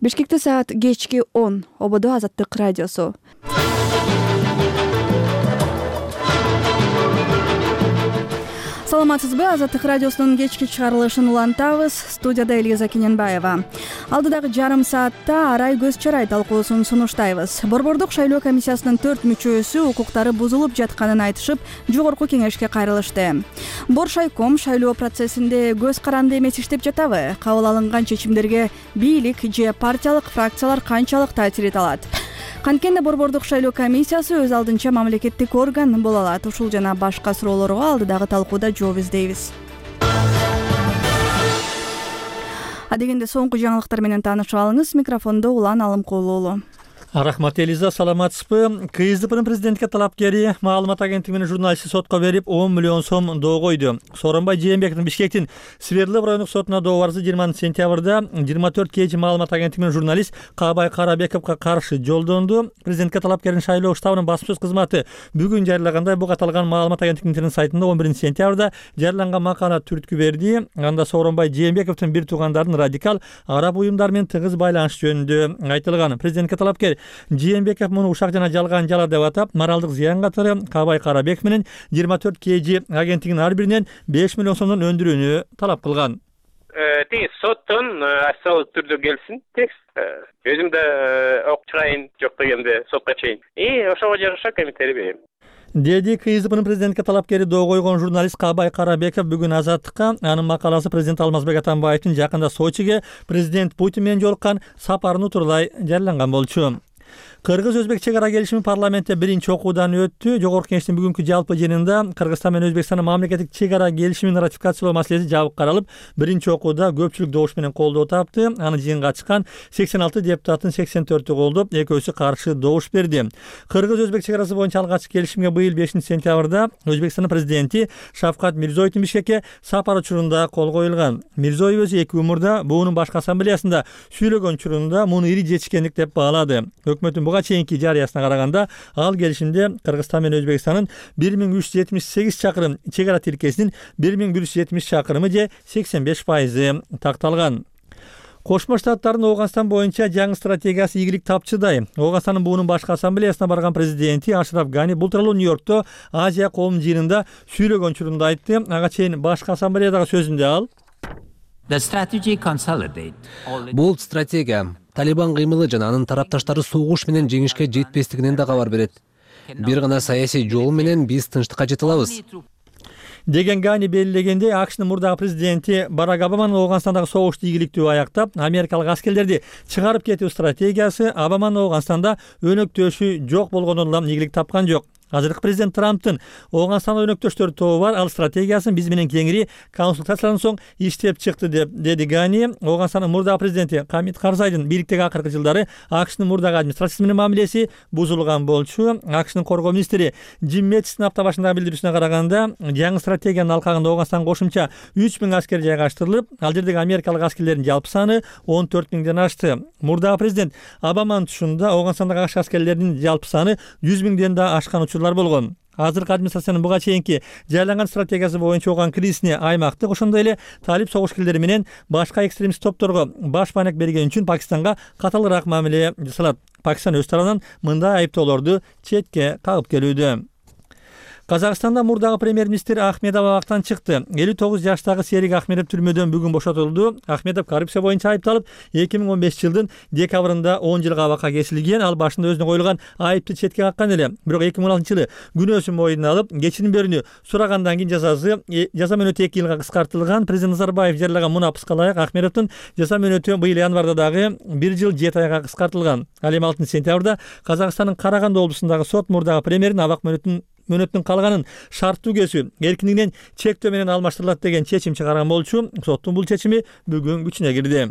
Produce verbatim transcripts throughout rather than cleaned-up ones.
Бишкекте саат кечки он. Ободо Азаттык радиосу. Саламатсызбы? Азаттык радиосунун кечки чыгарылышын улантабыз. Студияда Элиза Кененбаева. Алдыдагы жарым саатта арай көз чарай талкуусун сунуштайбыз. Борбордук шайлоо комиссиясынын төрт мүчөсү укуктары бузулуп жатканын айтышып, жогорку кеңешке кайрылышты. Боршайком шайлоо процессинде көз каранды эмес иштеп жатабы? Кабыл алынган чечимдерге бийлик же партиялык фракциялар канчалык таасир эте алат? Канткенде борбордук шайлоо комиссиясы өз алдынча мамлекеттик орган боло алат. Ушул жана башка суроолорго алдыдагы талкууда жооп издейбиз. Адегенде соңку жаңылыктар менен таанышып алыңыз. Микрофондо Улан Алымкулуу. Рахмат Элиза, саламатсызбы? КСДПнын президентке талапкери маалымат агенттиги менен журналистти сотко берип он миллион сом доо койду. Сооронбай Жээнбековдун Бишкектин Свердлов райондук сотуна доо арызы жыйырманчы сентябрда жыйырма төрт кж маалымат агенттиги менен журналист Каабай Карабековго каршы жолдонду. Президентке талапкердин шайлоо штабынын басма сөз кызматы бүгүн жарыялагандай буга аталган маалымат агенттигинин интернет сайтында он биринчи сентябрда жарыяланган макала түрткү берди. Анда Сооронбай Жээнбековдун бир туугандардын радикал араб уюмдары менен тыгыз байланышы жөнүндө айтылган. Президентке талапкер Жээнбеков муну ушак жана жалган жала деп атап, моралдык зыян катары Каабай Карабеков менен жыйырма төрт кж агенттигинин ар биринен беш миллион сомдон өндүрүүнү талап кылган. Тиги соттон асал түрдө келсин текст. Өзүм да окуп чыгайын, жок дегенде сотко чейин. И ошого жараша комментарий берем. Деди КСДПнын президентке талапкери доо койгон журналист Каабай Карабеков бүгүн Азаттыкка анын макаласы президент Алмазбек Атамбаевдин жакында Сочиге президент Путин менен жолуккан сапарын утурлай жарыяланган болчу. Кыргыз-Өзбек чек ара келишими парламентте биринчи окуудан өттү. Жогорку кеңештин бүгүнкү жалпы жыйынында Кыргызстан менен Өзбекстандын мамлекеттик чек ара келишимин ратификациялоо маселеси жабык каралып, биринчи окууда көпчүлүк добуш менен колдоо тапты. Аны жыйынга чыккан сексен алты депутаттын сексен төртү колдоп, экөөсү каршы добуш берди. Кыргыз-Өзбек чек арасы боюнча алгачкы келишимге быйыл бешинчи сентябрда Өзбекстандын президенти Шавкат Мирзиёевдин Бишкекке сапары учурунда кол коюлган. Мирзиёев өзү эки умурда буунун башкы ассамблеясында сүйлөгөн учурунда муну ири жетишкендик деп баалады. Өкмөттүн буга чейинки жарыясына караганда ал келишимде Кыргызстан менен Өзбекстандын бир миң үч жүз жетимиш сегиз чакырым чек ара тилкесинин бир миң бир жүз жетимиш чакырымы же сексен беш пайызы такталган. Кошмо Штаттардын Ооганстан боюнча жаңы стратегиясы ийгилик тапчыдай. Ооганстандын буунун башкы ассамблеясына барган президенти Ашраф Гани бул тууралуу Нью-Йоркто Азия коомунун жыйынында сүйлөгөн учурунда айтты. Ага чейин башкы ассамблеядагы сөзүндө ал: Бул стратегия Талибан кыймылы жана анын тарапташтары согуш менен жеңишке жетпестигинен да кабар берет. Бир гана саясий жол менен биз тынчтыкка жете алабыз деген Гани белгилегенде, АКШнын мурдагы президенти Барак Обаманын Ооганстандагы согушту ийгиликтүү аяктап, америкалык аскерлерди чыгарып кетүү стратегиясы Обаманын Ооганстанда өнөктөшү жок болгондон улам ийгилик тапкан жок. Азыркы президент Трамптын Ооганстанда өнөктөштөр тобу бар, ал стратегиясын биз менен кеңири консультациялардан соң иштеп чыкты деп деди Гани. Ооганстандын мурдагы президенти Хамид Карзайдын бийликтеги акыркы жылдары АКШнын мурдагы администрациясы менен мамилеси бузулган болчу. АКШнын коргоо министри Джим Мэттистин апта башындагы билдирүүсүнө караганда, жаңы стратегиянын алкагында Ооганстанга кошумча үч миң аскер жайгаштырылып, ал жердеги америкалык аскерлердин жалпы саны он төрт миңден ашты. Мурдагы президент Обаманын тушунда Ооганстандагы АКШ аскерлеринин жалпы саны жүз миңден да ашкан болгон. Азыркы администрациянын буга чейинки жайланган стратегиясы боюнча оган кризисине аймактык, ошондой эле талип согушкерлери менен башка экстремист топторго баш маанек берген үчүн Пакистанга каталыраак мамиле жасалат. Пакистан өз тарабынан мындай айыптоолорду четке кагып келүүдө. Казакстанда мурдагы премьер-министр Ахмедов абактан чыкты. элүү тогуз жаштагы Серик Ахмедов түрмөдөн бүгүн бошотулду. Ахмедов коррупция боюнча айыпталып, эки миң он бешинчи жылдын декабрында он жылга абакка кесилген. Ал башында өзүнө коюлган айыпты четке каккан эле. Бирок эки миң он алтынчы жылы күнөөсүн мойнуна алып, кечирим берүүнү сурагандан кийин жазасы жаза мөөнөтү эки жылга кыскартылган. Президент Назарбаев жарыялаган мунапыска ылайык Ахмедовдун жаза мөөнөтү быйыл январда дагы бир жыл жети айга кыскартылган. Ал эми алтынчы сентябрда Казакстандын Караганды облусундагы сот мурдагы премьердин абак мөөнөтүн мөөнөттүн калганын шарттуу кесүү эркиндигинен чектөө менен алмаштырылат деген чечим чыгарган болчу. Соттун бул чечими бүгүн күчүнө кирди.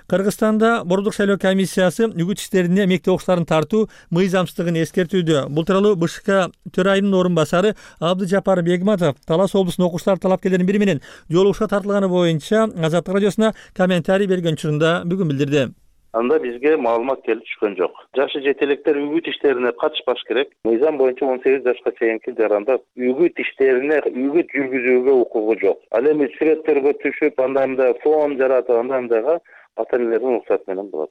Кыргызстанда борбордук шайлоо комиссиясы үгүт иштерине мектеп окуучуларын тартуу мыйзамсыздыгын эскертүүдө. Бул тууралуу БШК төрайымынын орун басары Абдыжапар Бегматов Талас облусунун окуучулар талапкерлеринин бири менен жолугушууга тартылганы боюнча Азаттык радиосуна комментарий берген учурунда бүгүн билдирди. Анда бизге маалымат келип түшкөн жок. Жашы жете электер үгүт иштерине катышпаш керек. Мыйзам боюнча он сегиз жашка чейинки жаранда үгүт иштерине үгүт жүргүзүүгө укугу жок. Ал эми сүрөттөргө түшүп, анда мында фон жаратып, анда мындайга ата-энелердин уруксаты менен болот.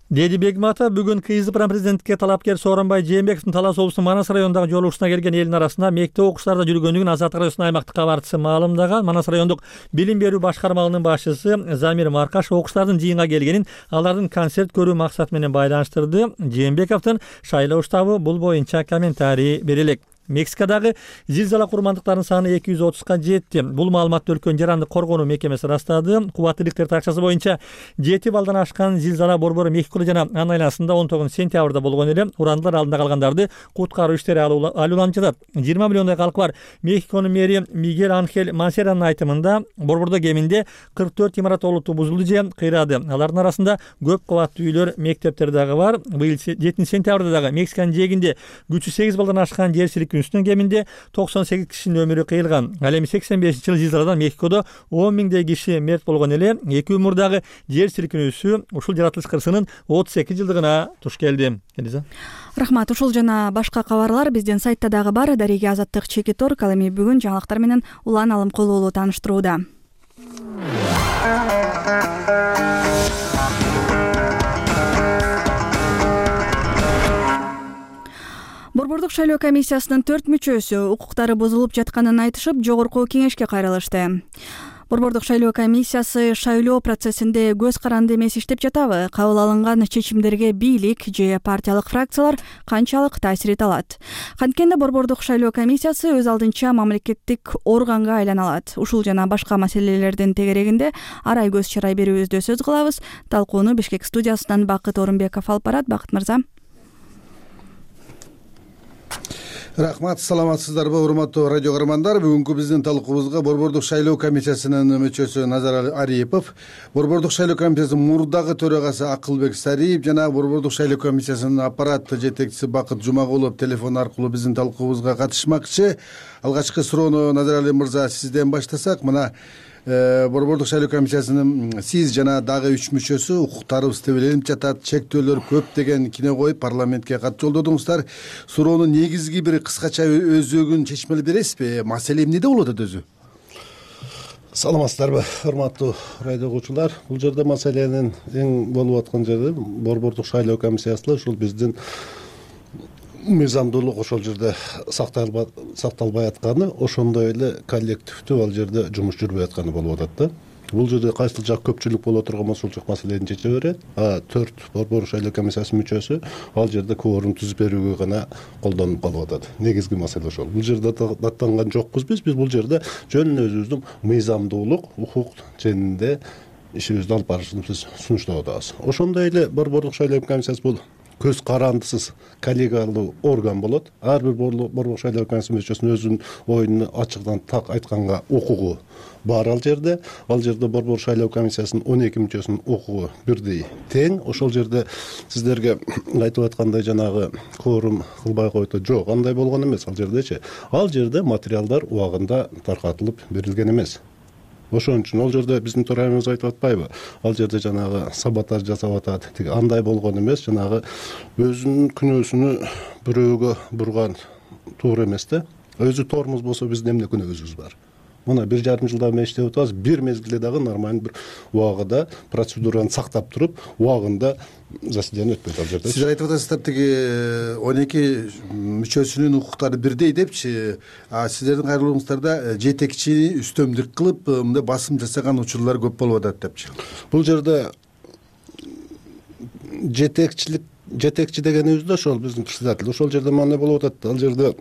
деди Бегмата бүгүн КСДП президенттикке талапкер Сооронбай Жээнбековдун Талас облусунун Манас районундагы жолугушууна келген элдин арасында мектеп окуучуларда жүргөндүгүн Азаттык радиосунун аймактык кабарчысы маалымдаган. Манас райондук билим берүү башкармалыгынын башчысы Замир Маркаш окуучулардын жыйынга келгенин алардын концерт көрүү максаты менен байланыштырды. Жээнбековдун шайлоо штабы бул боюнча комментарий бере элек. Мексикадагы зилзала курмандыктарынын саны эки жүз отузга жетти. Бул маалыматты өлкөнүн жарандык коргонуу мекемеси ырастады. Кубаттуулуктер такчасы боюнча жети балдан ашкан зилзала борбору Мехико жана анын айланасында он тогузунчу сентябрда болгон эле. Урандылар алдында калгандарды куткаруу иштери алууланып жатат. жыйырма миллиондой калкы бар Мехиконун мэри Мигель Анхель Мансеранын айтымында борбордо кеминде кырк төрт имарат олуттуу бузулду же кыйрады. Алардын арасында көп кабаттуу үйлөр, мектептер дагы бар. Быйыл жетинчи сентябрда дагы Мексиканын жээгинде күчү сегиз балдан ашкан жер силкинүү үстүнөн кеминде токсон сегиз кишинин өмүрү кыйылган. Ал эми сексен бешинчи жылы зилзаладан Мехикодо он миңдей киши мерт болгон эле. Эки күн мурдагы жер силкинүүсү ушул жаратылыш кырсынын отуз эки жылдыгына туш келди. Рахмат. Ушул жана башка кабарлар биздин сайтта дагы бар. Дареге Азаттык Чекит Орг ал эми бүгүн жаңылыктар менен улан Алымкулуулу тааныштырууда. Борбордук шайлоо комиссиясынын төрт мүчөсү укуктары бузулуп жатканын айтышып, жогорку кеңешке кайрылышты. Борбордук шайлоо комиссиясы шайлоо процессинде көз каранды эмес иштеп жатабы? Кабыл алынган чечимдерге бийлик же партиялык фракциялар канчалык таасир эте алат? Канткенде борбордук шайлоо комиссиясы өз алдынча мамлекеттик органга айлана алат. Ушул жана башка маселелердин тегерегинде арай көз чарай берүүбүздө сөз кылабыз. Талкууну Бишкек студиясынан Бакыт Орунбеков алып барат. Бакыт мырза. Рахмат, саламатсыздарбы урматтуу радио көрөрмандар. Бүгүнкү биздин талкуубузга борбордук шайлоо комиссиясынын мүчөсү Назар Ариипов, борбордук шайлоо комиссиясынын мурдагы төрагасы Акылбек Сариев жана борбордук шайлоо комиссиясынын аппарат жетекчиси Бакыт Жумагулов телефон аркылуу биздин талкуубузга катышмакчы. Алгачкы суроону Назар Али мырза сизден баштасак, мына борбордук шайлоо комиссиясынын сиз жана дагы үч мүчөсү укуктарыбыз тебеленип жатат, чектөөлөр көп деген кине коюп парламентке кат жолдодуңуздар. Суроонун негизги бир кыскача өзөгүн чечмелеп бересизби? Маселе эмнеде болуп атат өзү? Саламатсыздарбы, урматтуу радио угуучулар. Бул жерде маселенин эң болуп аткан жери борбордук шайлоо комиссиясында ушул биздин мыйзамдуулук ошол жерде сакталбай атканы, ошондой эле коллективдүү ал жерде жумуш жүрбөй атканы болуп атат да. Бул жерде кайсыл жак көпчүлүк боло турган болсо ушул жак маселени чече берет. А төрт борбордук шайлоо комиссиясынын мүчөсү ал жерде кворум түзүп берүүгө гана колдонуп калып атат. Негизги маселе ошол. Бул жерде даттанган жокпуз биз. Биз бул жерде жөн эле өзүбүздүн мыйзамдуулук, укук жөнүндө ишибизди алып барышыбызды сунуштап атабыз. Ошондой эле борбордук шайлоо комиссиясы бул көз карандысыз коллегиалдуу орган болот. Ар бир борбордук шайлоо комиссиясынын мүчөсүнүн өзүнүн оюну ачыктан так айтканга укугу бар ал жерде. Ал жерде борбордук шайлоо комиссиясынын он эки мүчөсүнүн укугу бирдей тең. Ошол жерде сиздерге айтып аткандай жанагы кворум кылбай койду. Жок, андай болгон эмес ал жердечи. Ал жерде материалдар убагында таркатылып берилген эмес. Ошон үчүн ал жерде биздин төрайымыбыз айтып атпайбы? Ал жерде жанагы саботаж жасап атат. Тиги андай болгон эмес, жанагы өзүнүн күнөөсүнү бирөөгө бурган туура эмес да. Өзү тормуз болсо биздин эмне күнөөбүз бар? Мына бир жарым жылдан бери иштеп атабыз. Бир мезгилде дагы нормалдуу бир убагында процедураны сактап туруп, убагында заседание өтпөйт ал жерде. Сиз айтып атасыздар, тиги он эки мүчөсүнүн укуктары бирдей депчи, а сиздердин кайрылууңуздарда жетекчини үстөмдүк кылып, мындай басым жасаган учурлар көп болуп атат депчи. Бул жерде жетекчилик жетекчи дегенибиз да ошол биздин председатель. Ошол жерде эмне болуп атат? Ал жерде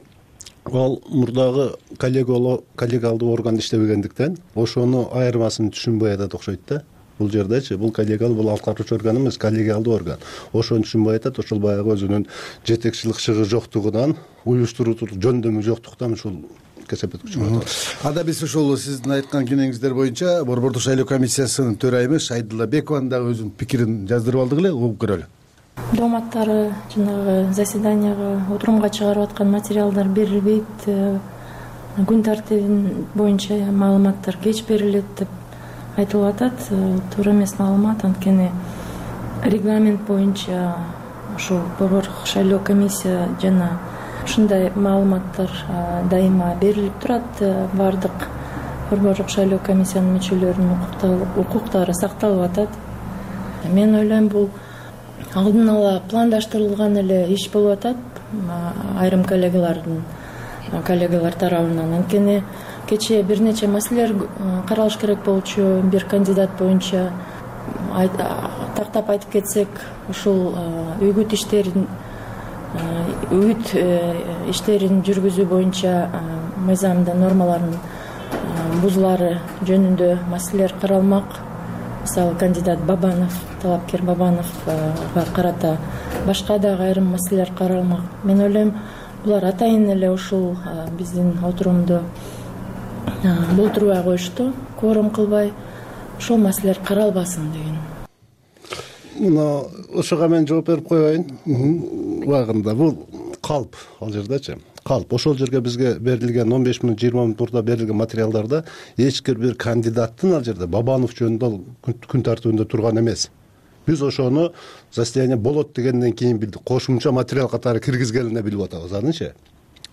ал мурдагы коллегиалдуу орган иштебегендиктен ошону айырмасын түшүнбөй атат окшойт да. Бул жердечи бул коллегиал, бул аткаруучу орган эмес, коллегиалдуу орган. Ошону түшүнбөй атат. Ошол баягы өзүнүн жетекчилик шыгы жоктугунан, уюштуруучулук жөндөмү жоктуктан ушул кесепетке чыгып атат. Ада биз ушул сиздин айткан кенеңиздер боюнча борбордук шайлоо комиссиясынын төрайымы Шайдулла Бекованын дагы өзүнүн пикирин жаздырып алдык эле, угуп көрөлү. Дооматтары жанагы заседанияга, отурумга чыгарып аткан материалдар берилбейт, күн тартибин боюнча маалыматтар кеч берилет деп айтылып атат. Туура эмес маалымат, анткени регламент боюнча ушул борбордук шайлоо комиссия жана ушундай маалыматтар дайыма берилип турат. Бардык борбордук шайлоо комиссиянын мүчөлөрүнүн укуктары сакталып атат. Мен ойлойм, бул алдын ала пландаштырылган эле иш болуп атат айрым коллегалардын коллегалар тарабынан. Анткени кечээ бир нече маселелер каралыш керек болчу. Бир кандидат боюнча тактап айтып кетсек, ушул үгүт иштерин үгүт иштерин жүргүзүү боюнча мыйзамда нормаларын бузулары жөнүндө маселелер каралмак. Мисалы, кандидат Бабанов, талапкер Бабановго карата башка дагы айрым маселелер каралмак. Мен ойлойм, булар атайын эле ушул биздин отурумду болтурбай коюшту, кворум кылбай, ошол маселелер каралбасын деген. Мына ошого мен жооп берип коеюн. Убагында бул калп, ал жердечи калп. Ошол жерге бизге берилген он беш мүнөт жыйырма мүнөт мурда берилген материалдарда эч бир кандидаттын ал жерде Бабанов жөнүндө күн тартибинде турган эмес. Биз ошону заседание болот дегенден кийин билдик. Кошумча материал катары киргизгенине билип атабыз анычы.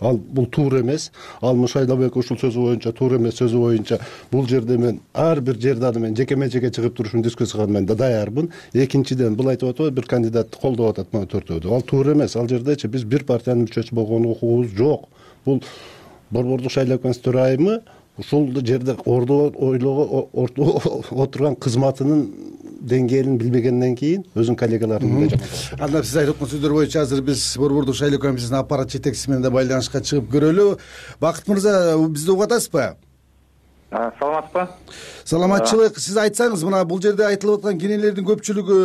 Ал бул туура эмес. Ал Шайлообек ушул сөзү боюнча туура эмес сөзү боюнча бул жерде мен ар бир жерде аны мен жекеме жеке чыгып туруп ушуну дискуссияга мен да даярмын. Экинчиден, бул айтып атабы бир кандидатты колдоп атат мына төртөөдү. Ал туура эмес. Ал жердечи биз бир партиянын мүчөсү болгон укугубуз жок. Бул Борбордук шайлоо комиссиясынын төрайымы ушул жерде ордо ойлого отурган кызматынын деңгээлин билбегенден кийин өзүнүн коллегаларын да. Анда сиз айтып аткан сөздөр боюнча азыр биз Борбордук шайлоо комиссиясынын аппарат жетекчиси менен да байланышка чыгып көрөлү. Бакыт мырза, бизди угуп атасызбы? Саламатсызбы? Саламатчылык. Сиз айтсаңыз, мына бул жерде айтылып аткан кенелердин көпчүлүгү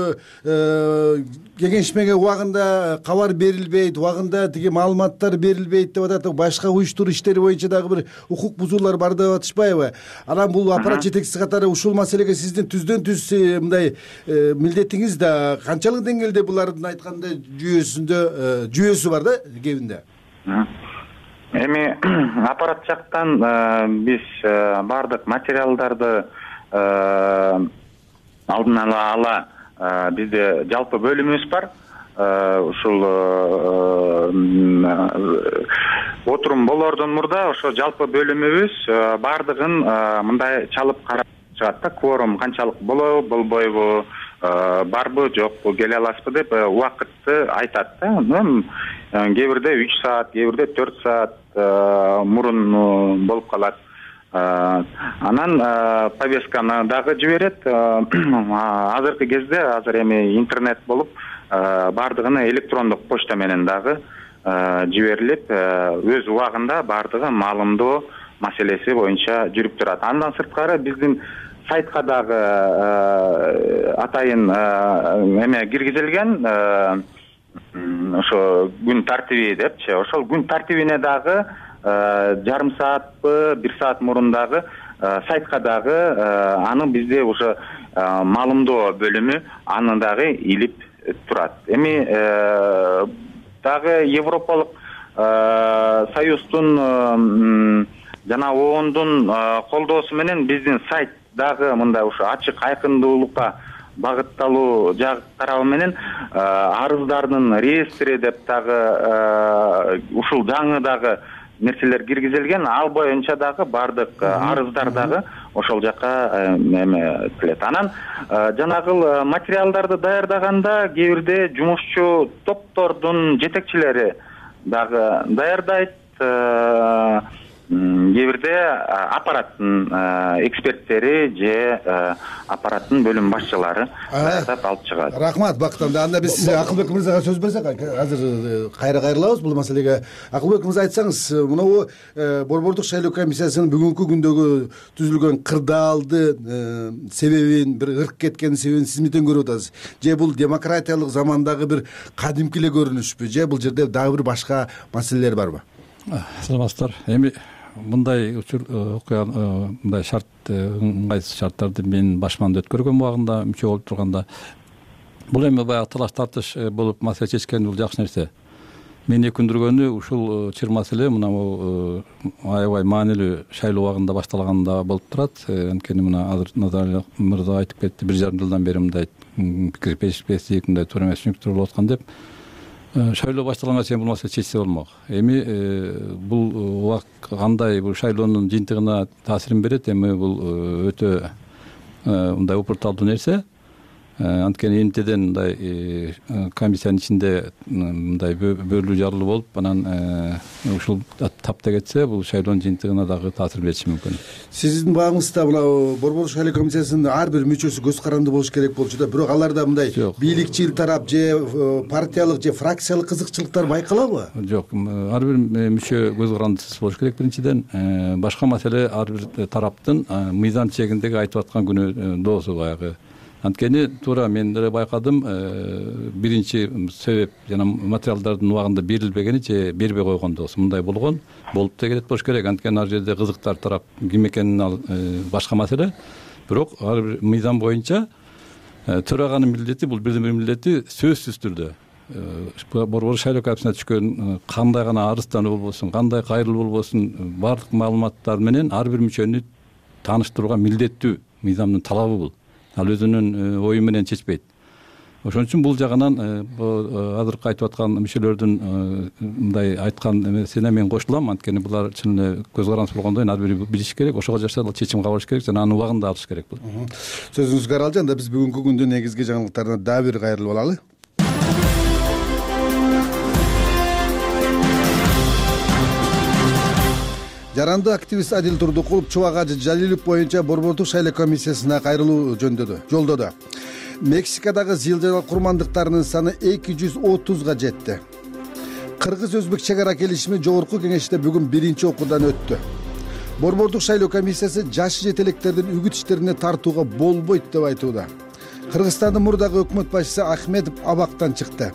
кеңешмеге убагында кабар берилбейт, убагында тиги маалыматтар берилбейт деп атат. Башка уюштуруу иштери боюнча дагы бир укук бузуулар бар деп атышпайбы? Анан бул аппарат жетекчиси катары ушул маселеге сиздин түздөн түз мындай милдетиңиз да канчалык деңгээлде булардын айткандай жүйөсүндө жүйөсү бар да кебинде? Эми аппарат жактан биз бардык материалдарды алдын ала бизде жалпы бөлүмүбүз бар. Ушул отурум болордон мурда ошо жалпы бөлүмүбүз бардыгын мындай чалып карап чыгат да. Кворум канчалык болобу, болбойбу, барбы, жокпу, келе аласызбы деп убакытты айтат да. Кээ бирде үч саат, кээ бирде төрт саат мурун болуп калат. Анан повестканы дагы жиберет. Азыркы кезде азыр эми интернет болуп, бардыгына электрондук почта менен дагы жиберилип, өз убагында бардыгы маалымдоо маселеси боюнча жүрүп турат. Андан сырткары биздин сайтка дагы атайын эме киргизилген, ошо күн тартиби депчи. Ошол күн тартибине дагы жарым саатпы, бир саат мурун дагы сайтка дагы аны бизде уже маалымдоо бөлүмү аны дагы илип турат. Эми дагы Европалык Союздун жана оондун колдоосу менен биздин сайт дагы мындай ушу ачык айкындуулукка багытталуу жак тарабы менен арыздардын реестри деп дагы ушул жаңы дагы нерселер киргизилген. Ал боюнча дагы бардык арыздар дагы ошол жакка эме келет. Анан жанагыл материалдарды даярдаганда кээ бирде жумушчу топтордун жетекчилери дагы даярдайт. Кээ бирде аппараттын эксперттери же аппараттын бөлүм башчылары даярдап алып чыгат. Рахмат, Бакыт. Анда биз Акылбек мырзага сөз берсек, азыр кайра кайрылабыз бул маселеге. Акылбек мырза, айтсаңыз, мынабу Борбордук шайлоо комиссиясынын бүгүнкү күндөгү түзүлгөн кырдаалды себебин, бир ырк кеткен себебин сиз эмнеден көрүп атасыз? Же бул демократиялык замандагы бир кадимки эле көрүнүшпү? Же бул жерде дагы бир башка маселелер барбы? Саламатсыздар. Эми мындай учур окуя, мындай шарт, ыңгайсыз шарттарды мен башманда өткөргөн убагында мүчө болуп турганда бул эми баягы талаш тартыш болуп маселе чечкен бул жакшы нерсе. Мени өкүндүргөнү ушул чыр маселе мына бул аябай маанилүү шайлоо убагында башталганда болуп турат. Анткени мына азыр Назаралиев мырза айтып кетти, бир жарым жылдан бери мындай пикир перишпестик, мындай туура эмес түшүнүктөр болуп аткан деп. Шайлоо башталганга чейин бул маселе чечсе болмок. Эми бул убак кандай бул шайлоонун жыйынтыгына таасирин берет. Эми бул өтө мындай упурталдуу нерсе. анткени эмтеден мындай комиссиянын ичинде мындай бөлүү жарылуу болуп анан ушул тапта кетсе бул шайлоонун жыйынтыгына дагы таасир бериши мүмкүн. Сиздин багыңызда мына борбордук шайлоо комиссиясынын ар бир мүчөсү көз каранды болуш керек болчу да, бирок аларда мындай бийликчил тарап же партиялык же фракциялык кызыкчылыктар байкалабы? Жок, ар бир мүчө көз карандысыз болуш керек. Биринчиден башка маселе ар бир тараптын мыйзам чегиндеги айтып аткан күнөөдосу баягы. Анткени туура мен деле байкадым, биринчи себеп жана материалдардын убагында берилбегени же бербей койгондосу. Мындай болгон болуп да келет болуш керек. Анткени ар жерде кызыктар тарап ким экенин ал башка маселе. Бирок ар бир мыйзам боюнча төраганын милдети, бул бирден бир милдети сөзсүз түрдө борбордук шайлоо комиссиясына түшкөн кандай гана арыздануу болбосун, кандай кайрылуу болбосун, баардык маалыматтар менен ар бир мүчөнү тааныштырууга милдеттүү мыйзамдын талабы бул. Ал өзүнүн ою менен чечпейт. Ошон үчүн бул жагынан азыркы айтып аткан мүчөлөрдүн мындай айткан эмесине мен кошулам. Анткени булар чын эле көз карандысыз болгондон ар бири билиш керек, ошого жараша чечим кабыл алыш керек жана анын убагында алыш керек бул. Сөзүңүзгө аралжан да биз бүгүнкү күндүн негизги жаңылыктарына дагы бир кайрылып алалы. Жаранды активист Адил Турдукулов Чубак Ажы Жалилов боюнча борбордук шайлоо комиссиясына кайрылуу жөндөдү, жолдоду. Мексикадагы зыйылжал курмандыктарынын саны эки жүз отузга жетти. Кыргыз-өзбек чек ара келишими жогорку кеңеште бүгүн биринчи окуудан өттү. Борбордук шайлоо комиссиясы жаш жетелектердин үгүт иштерине тартууга болбойт деп айтууда. Кыргызстандын мурдагы өкмөт башчысы Ахмедов абактан чыкты.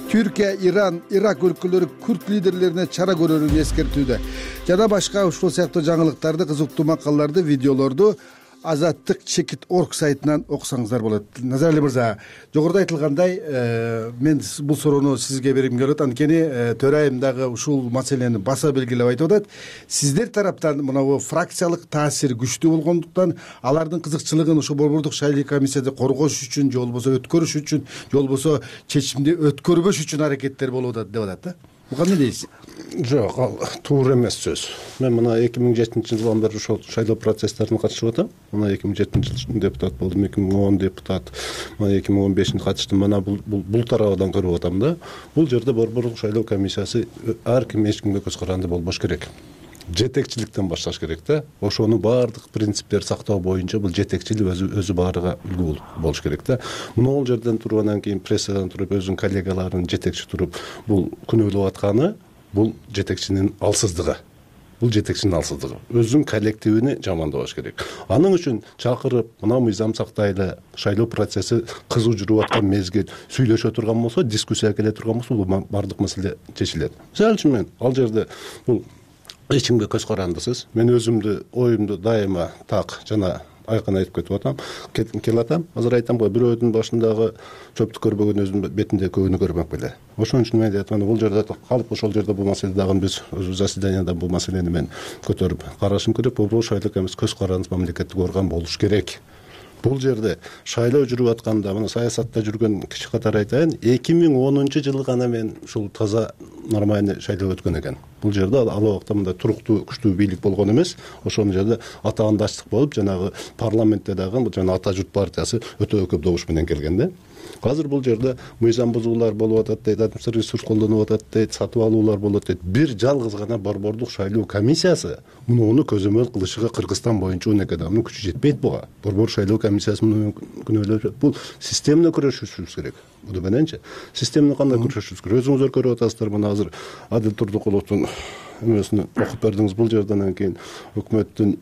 Түркия, Иран, Ирак өлкөлөрү күрд лидерлерине чара көрөрүн эскертүүдө. Жана башка ушул сыяктуу жаңылыктарды, кызыктуу макалаларды, видеолорду Азаттык чекит орг сайтынан окусаңыздар болот. Назарали мырза, жогоруда айтылгандай, мен бул суроону сизге бергим келет. Анткени төрайым дагы ушул маселени баса белгилеп айтып атат. Сиздер тараптан мына фракциялык таасир күчтүү болгондуктан алардын кызыкчылыгын ушул борбордук шайлоо комиссияда коргош үчүн, же болбосо өткөрүш үчүн, же болбосо чечимди өткөрбөш үчүн аракеттер болуп атат деп атат да. Буга эмне дейсиз? Жок, ал туура эмес сөз. Мен мына эки миң жетинчи жылдан бери ошол шайлоо процесстерине катышып атам. Мына эки миң жетинчи жылы депутат болдум, эки миң он депутат, мына эки миң он бешинде катыштым. Мына бул бул тарабынан көрүп атам да. Бул жерде борбордук шайлоо комиссиясы ар ким эч кимге көз каранды болбош керек. Жетекчиликтен башташ керек да. Ошонун баардык принциптерди сактоо боюнча бул жетекчилик өзү өзү баарыга үлгү болуш керек да. Могул жерден туруп анан кийин прессадан туруп өзүнүн коллегаларын жетекчи туруп бул күнөөлөп атканы бул жетекчинин алсыздыгы. Бул жетекчинин алсыздыгы. Өзүнүн коллективини жамандабаш керек. Анын үчүн чакырып, мына мыйзам сактайлы, шайлоо процесси кызуу жүрүп аткан мезгил сүйлөшө турган болсо, дискуссия келе турган болсо, бул баардык маселе чечилет. Мисалы үчүн мен ал жерде бул эч кимге көз карандысыз. Мен өзүмдү оюмду дайыма так жана айкын айтып кетип атам, келе атам. Азыр айтам го, бирөөдүн башындагы чөптү көрбөгөн өзүнүн бетинде көгүнү көрмөк беле. Ошон үчүн мен айтам, бул жерде калып ошол жерде бул маселе дагы биз өзү заседанияда бул маселени мен көтөрүп карашым керек. Бул шайлоо комиссиясы көз карандысыз мамлекеттик орган болуш керек. Бул жерде шайлоо жүрүп атканда, мына саясатта жүргөн киши катары айтайын, эки миң онунчу жылы гана мен ушул таза нормальный шайлоо өткөн экен. Бул жерде ал убакта мындай туруктуу, күчтүү бийлик болгон эмес. Ошол жерде атаандаштык болуп, жанагы парламентте дагы жана Ата журт партиясы өтө көп добуш менен келген да. Азыр бул жерде мыйзам бузуулар болуп атат дейт, административдик ресурс колдонуп атат дейт, сатып алуулар болот дейт. Бир жалгыз гана борбордук шайлоо комиссиясы муну көзөмөл кылышыга Кыргызстан боюнча он эки адамдын күчү жетпейт буга. Борбордук шайлоо комиссиясы муну күнөөлөп, бул системаны күрөшүшүбүз керек. Бул мененчи системаны кандай күрөшүшүбүз керек? Өзүңүздөр көрүп атасыздар, мына азыр Адил Турдукуловдун эмесин окуп бердиңиз. Бул жерден кийин өкмөттүн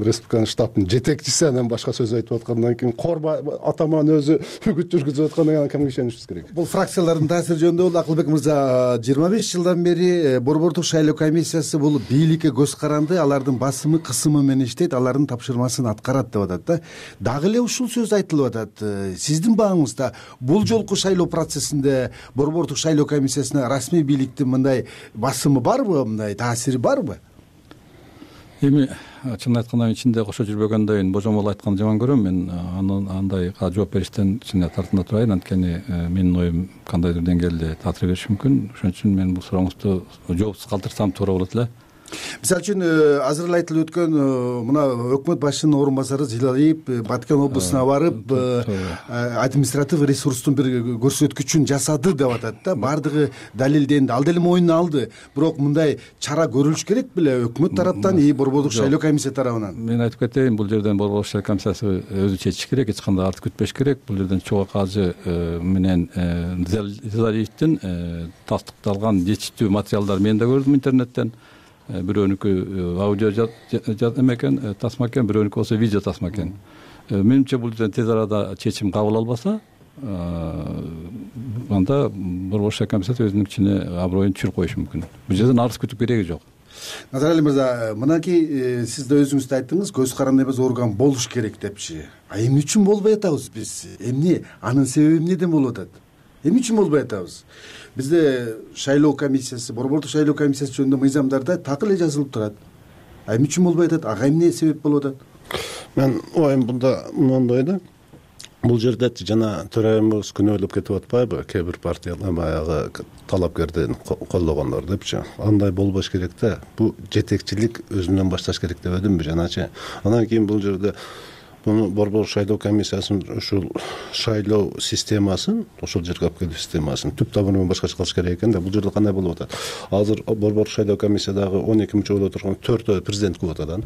республиканын штабынын жетекчиси анан башка сөз айтып аткандан кийин корба атаман өзү үгүт жүргүзүп аткандан кийин кимге ишенишибиз керек? Бул фракциялардын таасири жөнүндө бул Акылбек мырза, жыйырма беш жылдан бери борбордук шайлоо комиссиясы бул бийликке көз каранды, алардын басымы, кысымы менен иштейт, алардын тапшырмасын аткарат деп атат да. Дагы эле ушул сөз айтылып атат. Сиздин багыңызда бул жолку шайлоо процессинде борбордук шайлоо комиссиясына расмий бийликтин мындай басымы барбы, мындай таасири барбы? Эми чын айтканда мен ичинде кошо жүрбөгөндөн божомол айтканды жаман көрөм. Мен анын андайга жооп бериштен чын тартынып турайын. Анткени менин оюм кандайдыр деңгээлде таасир бериши мүмкүн. Ошон үчүн мен бул сурооңузду жоопсуз калтырсам туура болот эле. Мисалы үчүн азыр эле айтылып өткөн мына өкмөт башчынын орун басары Зилалиев Баткен облусуна барып административ ресурстун бир көрсөткүчүн жасады деп атат да. Баардыгы далилденди, ал деле мойнуна алды. Бирок мындай чара көрүлүш керек беле өкмөт тараптан и Борбордук шайлоо комиссия тарабынан? Мен айтып кетейин, бул жерден Борбордук шайлоо комиссиясы өзү чечиш керек, эч кандай арты күтпеш керек. Бул жерден чогуу кажы менен Зилалиевдин тастыкталган жетиштүү материалдар мен да көрдүм интернеттен. Бирөөнүкү аудио эме экен, тасма экен, бирөөнүкү болсо видео тасма экен. Менимче бул жерден тез арада чечим кабыл албаса, анда Борбордук шайлоо комиссиясы өзүнүн ичине аброюн түшүрүп коюшу мүмкүн. Бул жерден арыз күтүп кереги жок. Назарали мырза, мынакей сиз да өзүңүз айттыңыз, көз каранды эмес орган болуш керек депчи. А эмне үчүн болбой атабыз биз? Эмне? Анын себеби эмнеден болуп атат? Эмне үчүн болбой атабыз? Бизде шайлоо комиссиясы, Борбордук шайлоо комиссиясы жөнүндө мыйзамдарда так эле жазылып турат. А эмне үчүн болбой атат? Ага эмне себеп болуп атат? Мен оюм мында мындай да. Бул жерде жана төрайымыбыз күнөөлөп кетип атпайбы? Кээ бир партиялар баягы талапкерден колдогондор депчи. Андай болбош керек да. Бу жетекчилик өзүнөн башташ керек деп өдүмбү жаначы. Андан кийин бул жерде буну Борбордук шайлоо комиссиясынын ушул шайлоо системасын, ошол жерге алып келүү системасын түп табынынан башкача кылыш керек экен да. Бул жерде кандай болуп атат? Азыр Борбордук шайлоо комиссиядагы он эки мүчө болуп турган төртөө президент квотадан,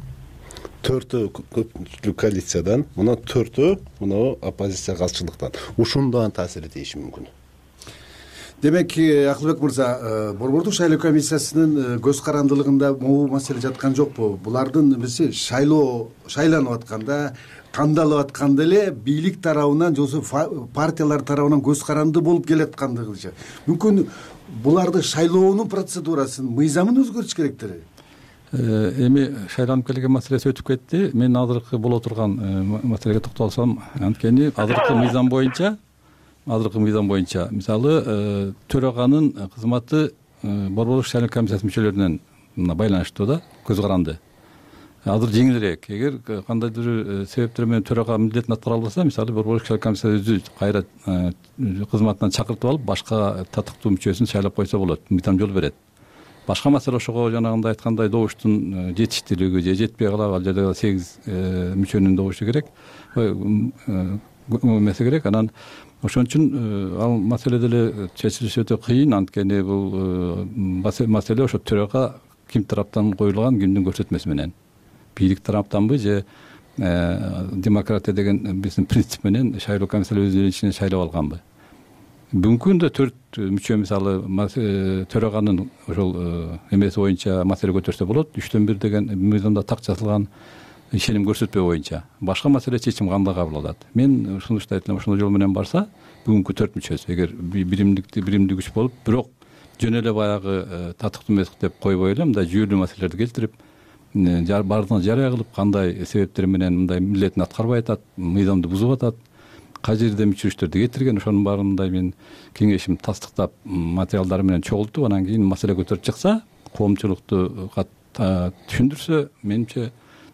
төртөө көпчүлүк коалициядан, мына төртөө мына оппозиция калчылыктан. Ушундан таасир этиши мүмкүн. Демек, Акылбек мырза, Борбордук шайлоо комиссиясынын көз карандылыгында могу маселе жаткан жокпу? Булардын эмеси шайлоо шайланып атканда, кандалып атканда эле бийлик тарабынан же партиялар тарабынан көз каранды болуп келаткандыгыча. Мүмкүн буларды шайлоонун процедурасын, мыйзамын өзгөртүш керектир. Эми шайланып келген маселеси өтүп кетти. Мен азыркы боло турган маселеге токтолсом, анткени азыркы мыйзам боюнча азыркы мыйзам боюнча мисалы төраганын кызматы Борбордук шайлоо комиссиясынын мүчөлөрүнөн байланыштуу да, көз каранды. Азыр жеңилирээк. Эгер кандайдыр себептер менен төрага милдетин аткара албаса, мисалы Борбордук шайлоо комиссиясы өзү кайра кызматынан чакыртып алып, башка татыктуу мүчөсүн шайлап койсо болот. Мыйзам жол берет. Башка маселе ошого жанагындай айткандай добуштун жетиштүүлүгү же жетпей калабы, ал жерде сегиз мүчөнүн добушу керек. Эмеси керек. Анан ошон үчүн ал маселе деле чечилиши өтө кыйын, анткени бул маселе ошо төрага ким тараптан коюлган, кимдин көрсөтмөсү менен. Бийлик тараптанбы же демократия деген биздин принцип менен шайлоо комиссиясы өзүнүн ичинен шайлап алганбы? Бүгүнкү күндө төрт мүчө мисалы төраганын ошол эмеси боюнча маселе көтөрсө болот. Үчтөн бир деген мыйзамда так жазылган ишеним көрсөтпөө боюнча. Башка маселе чечим кандай кабыл алат? Мен сунуштайт элем, ошол жол менен барса, бүгүнкү төрт мүчөсү эгер биримдикти биримдик күч болуп, бирок жөн эле баягы татыктуу эмес деп койбой эле, мындай жүйөлүү маселелерди келтирип, баардыгын жарыя кылып, кандай себептер менен мындай милдетин аткарбай атат, мыйзамды бузуп атат, кай жерде мүчүрүштөрдү кетирген, ошонун баарын мындай мен кеңешим тастыктап материалдары менен чогултуп, анан кийин маселе көтөрүп чыкса, коомчулукту түшүндүрсө, менимче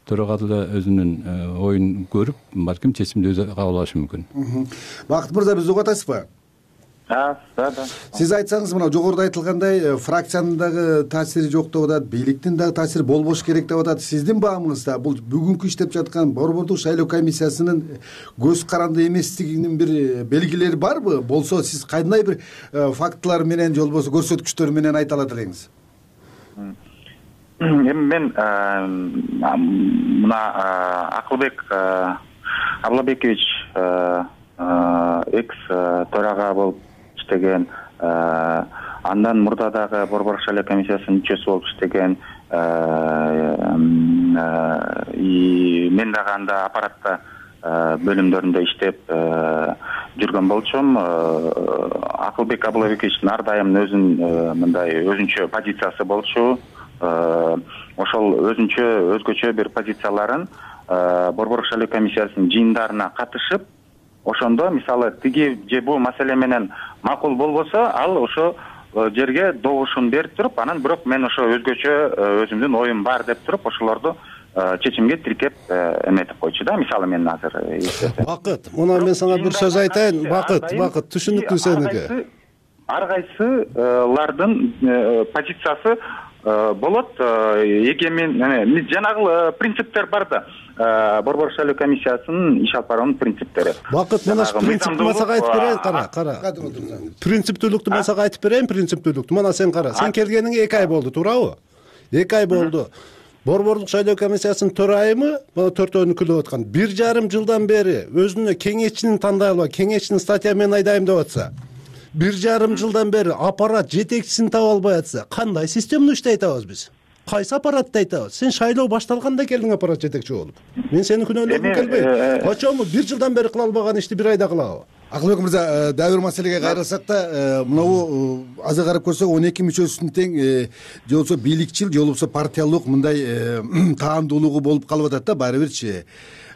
төрага деле өзүнүн оюн көрүп, балким чечимди өзү кабыл алышы мүмкүн. Бакыт мырза, бизди угуп атасызбы? Да, да. Сиз айтсаңыз, мына жогоруда айтылгандай, фракциянын дагы таасири жок деп атат, бийликтин дагы таасири болбош керек деп атат. Сиздин баамыңызда бул бүгүнкү иштеп жаткан Борбордук шайлоо комиссиясынын көз каранды эместигинин бир белгилери барбы? Болсо, сиз кандай бир фактылар менен же болбосо көрсөткүчтөр менен айта алат элеңиз? Эми мен мына Акылбек Аблабекович экс төрага болуп иштеген, андан мурда дагы Борбордук шайлоо комиссиясынын мүчөсү болуп иштеген, мен дагы анда аппаратта бөлүмдөрүндө иштеп жүргөн болчумун. Акылбек Аблабековичтин ар дайым өзүнүн мындай өзүнчө позициясы болчу. Ошол өзүнчө өзгөчө бир позицияларын Борбордук шайлоо комиссиясынын жыйындарына катышып, ошондо мисалы тиги же бул маселе менен макул болбосо, ал ошо жерге добушун берип туруп, анан бирок мен ошо өзгөчө өзүмдүн оюм бар деп туруп, ошолорду чечимге тиркеп эметип койчу да. Мисалы мен азыр Бакыт, мына мен сага бир сөз айтайын. Бакыт, Бакыт, түшүнүктүү сеники. Ар кайсылардын позициясы болот. Эгемен жанагы принциптер бар да. Борбордук шайлоо комиссиясынын иш алып баруунун принциптери. Бакыт, мына принциптти мен сага айтып берейин, кара, кара. Принциптүүлүктү мен сага айтып берейин, принциптүүлүктү. Мына сен кара. Сен келгениңе эки ай болду, туурабы? эки ай болду. Борбордук шайлоо комиссиясынын төрайымы мына төртөөнү күлүп аткан. Бир жарым жылдан бери өзүнө кеңешчини тандай албай, кеңешчини статья мен айдайм деп атса, бир жарым жылдан бери аппарат жетекчисин таба албай атса, кандай системаны иштей атабыз биз? Кайсы аппаратты айтабыз? Сен шайлоо башталганда келдиң аппарат жетекчи болуп. Мен сени күнөөлөгүм келбейт. Качанбы бир жылдан бери кыла албаган ишти бир айда кылабы? Акылбек мырза, дагы бир маселеге кайрылсак да, мынабу азыр карап көрсөк он эки мүчөсүнүн тең же болбосо бийликчил, же болбосо партиялык мындай таандуулугу болуп калып атат да баары бирчи.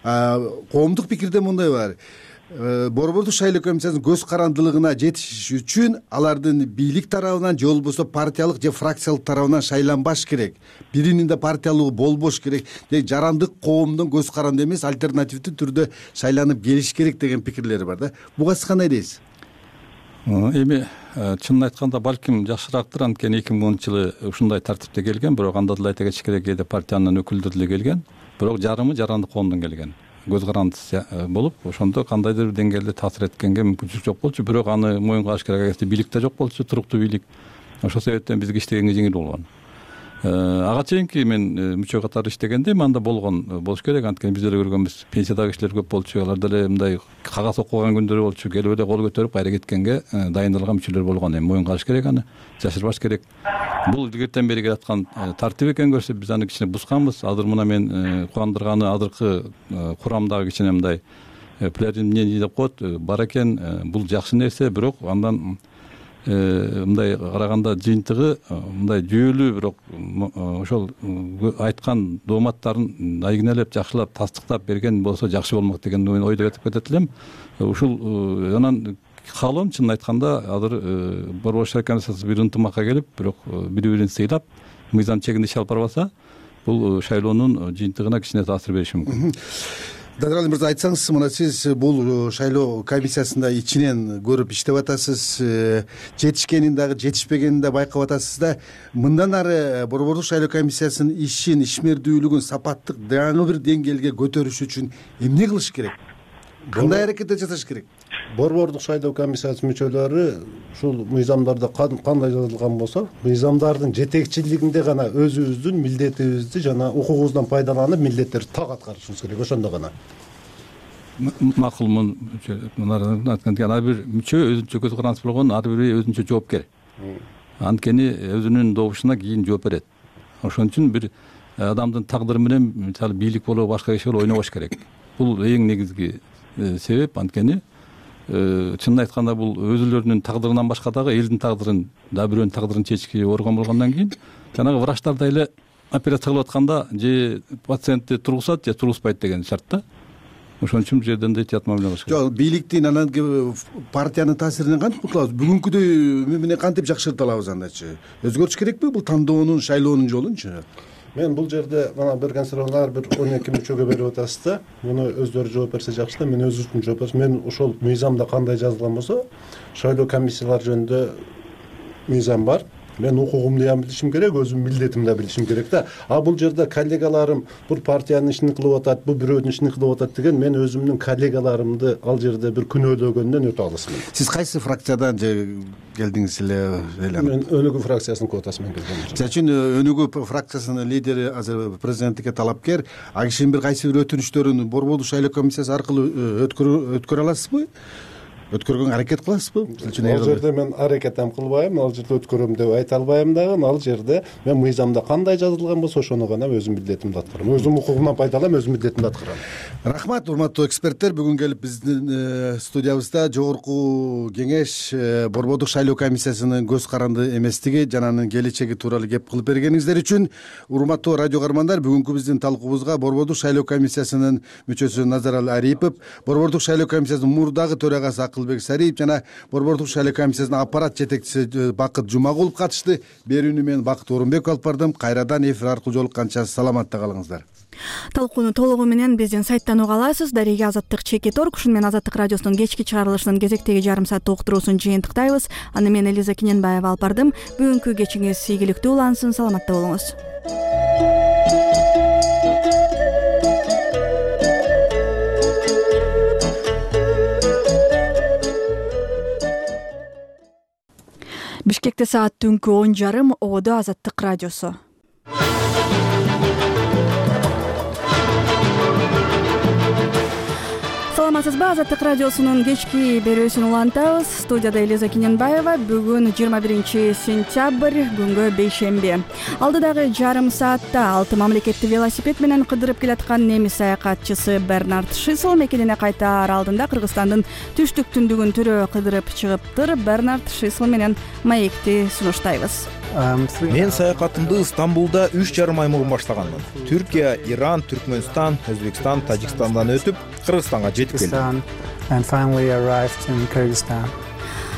Коомдук пикирде мындай бар. Борбордук шайлоо комиссиясынын көз карандылыгына жетиш үчүн алардын бийлик тарабынан же болбосо партиялык же фракциялык тарабынан шайланбаш керек. Биринин да партиялыгы болбош керек. Же жарандык коомдун көз каранды эмес, альтернативдүү түрдө шайланып келиш керек деген пикирлери бар да. Буга сиз кандай дейсиз? Эми чынын айтканда балким жакшыраактыр, анткени эки миң онунчу жылы ушундай тартипте келген, бирок анда деле айта кетиш керек, кээде партиянын өкүлдөрү деле келген, бирок жарымы жарандык коомдон келген. Көз карандысы болуп, ошондо кандайдыр бир деңгээлде таасир эткенге мүмкүнчүлүк жок болчу, бирок аны моюнга алыш керек. Агерде бийликте жок болчу, туруктуу бийлик, ошол себептен бизге иштегенге жеңил болгон. Ага чейинки мен мүчө катары иштегенде анда болгон болуш керек, анткени биз деле көргөнбүз, пенсиядагы кишилер көп болчу, алар деле мындай кагаз окуган күндөрү болчу, келип эле кол көтөрүп кайра кеткенге дайындалган мүчөлөр болгон. Эми моюнга алыш керек, аны жашырбаш керек. Бул илгертен бери келаткан тартип экен көрсө, биз аны кичине бусканбыз. Азыр мына мен кубандырганы азыркы курамдагы кичине мындай плюрализм мнений деп коет, бар экен. Бул жакшы нерсе, бирок андан мындай караганда жыйынтыгы мындай жүйөлүү, бирок ошол айткан дооматтарын айгинелеп, жакшылап, тастыктап берген болсо жакшы болмок деген мен ойдо кетип кетет элем. Ушул анан каалоом чынын айтканда азыр борбордук шайлоо комиссиясы бир ынтымакка келип, бирок бири-бирин сыйлап, мыйзам чегинде иш алып барбаса, бул шайлоонун жыйынтыгына кичине таасир бериши мүмкүн. Дадырали мырза, айтсаңыз, мына сиз бул шайлоо комиссиясында ичинен көрүп иштеп атасыз, жетишкенин дагы жетишпегенин да байкап атасыз да. Мындан ары борбордук шайлоо комиссиясынын ишин, ишмердүүлүгүн сапаттык дагы бир деңгээлге көтөрүш үчүн эмне кылыш керек? Кандай аракеттер жасаш керек? Борбордук шайлоо комиссиясынын мүчөлөрү ушул мыйзамдарда кандай жазылган болсо, мыйзамдардын жетекчилигинде гана өзүбүздүн милдетибизди жана укугубуздан пайдаланып, милдеттерди так аткарышыбыз керек. Ошондо гана макулмун. Ар бир мүчө өзүнчө көз карандысы болгон, ар бири өзүнчө жоопкер. Анткени өзүнүн добушуна кийин жооп берет. Ошон үчүн бир адамдын тагдыры менен, мисалы, бийлик болобу, башка иш болобу ойнобош керек. Бул эң негизги себеп. Анткени чынын айтканда бул өзүлөрүнүн тагдырынан башка дагы элдин тагдырын, дагы бирөөнүн тагдырын чечишке орган болгондон кийин, жанагы врачтарда эле операция кылып атканда же пациентти тургузат, же тургузбайт деген шарт да. Ошон үчүн бул жерден да этият мамиле кылыш керек. Жок, бийликтин анан партиянын таасиринен кантип кутулабыз? Бүгүнкүдөй эмне кантип жакшырта алабыз андачы? Өзгөртүш керекпи бул тандоонун, шайлоонун жолунчу? Мен бул жерде мына берген сурооңа ар бир он эки мүчөгө берип атасыз да. Муну өздөрү жооп берсе жакшы да, мен өзүм жооп берсем, мен ошол мыйзамда кандай жазылган болсо, шайлоо комиссиялар жөнүндө мыйзам бар. Мен укугумду да билишим керек, өзүм милдетимди да билишим керек да. А бул жерде коллегаларым бул партиянын ишин кылып атат, бул бирөөнүн ишин кылып атат деген, мен өзүмдүн коллегаларымды ал жерде бир күнөөлөгөндөн өтө алысмын. Сиз кайсы фракциядан же келдиңиз эле? Мен Өнүгүү фракциясынын квотасы менен келдим. Мисалы үчүн Өнүгүү фракциясынын лидери азыр президенттикке талапкер, а кишинин бир кайсы бир өтүнүчтөрүн борбордук шайлоо комиссиясы аркылуу өткөрө аласызбы? Өткөргөнгө аракет кыласызбы? Ал жерде мен аракет ham кылбайм, ал жерде өткөрөм деп айта албайм дагы. Ал жерде мен мыйзамда кандай жазылган болсо, ошону гана өзүм милдетимди аткарам. Өзүм укугумдан пайдаланып, өзүм милдетимди аткарам. Рахмат, урматтуу эксперттер. Бүгүн келип биздин студиябызда жогорку кеңеш борбордук шайлоо комиссиясынын көз каранды эместиги жана анын келечеги тууралуу кеп кылып бергениңиздер үчүн. Урматтуу радио каармандар, бүгүнкү биздин талкуубузга борбордук шайлоо комиссиясынын мүчөсү Назаралы Арипов, борбордук шайлоо комиссиясынын мурдагы төрагасы Акылбек Сариев жана Борбордук шайлоо комиссиясынын аппарат жетекчиси Бакыт Жумагулов катышты. Берүүнү мен Бакыт Орунбеков алып бардым. Кайрадан эфир аркылуу жолукканча саламатта калыңыздар. Талкууну толугу менен биздин сайттан уга аласыз. Дареге Азаттык чекит орг. Ушуну менен Азаттык радиосунун кечки чыгарылышынын кезектеги жарым саат уктуруусун жыйынтыктайбыз. Аны мен Элиза Киненбаева алып бардым. Бүгүнкү кечиңиз ийгиликтүү улансын. Саламатта болуңуз. Бишкекте саат түнкү он жарым. Ободо Азаттык радиосу. Саламатсызбы? Азаттык радиосунун кечки берүүсүн улантабыз. Студияда Элиза Киненбаева. Бүгүн жыйырма биринчи сентябрь, күнгө бейшемби. Алдыдагы жарым саатта алты мамлекетти велосипед менен кыдырып келаткан немис саякатчысы Бернард Шисел мекенине кайтаар алдында Кыргызстандын түштүк түндүгүн төрө кыдырып чыгыптыр. Бернард Шисел менен маекти сунуштайбыз. Мен саякатымды Стамбулда үч жарым ай мурун баштаганмын. Түркия, Иран, Түркмөнстан, Өзбекстан, Тажикстандан өтүп, Кыргызстанга жетип келдим.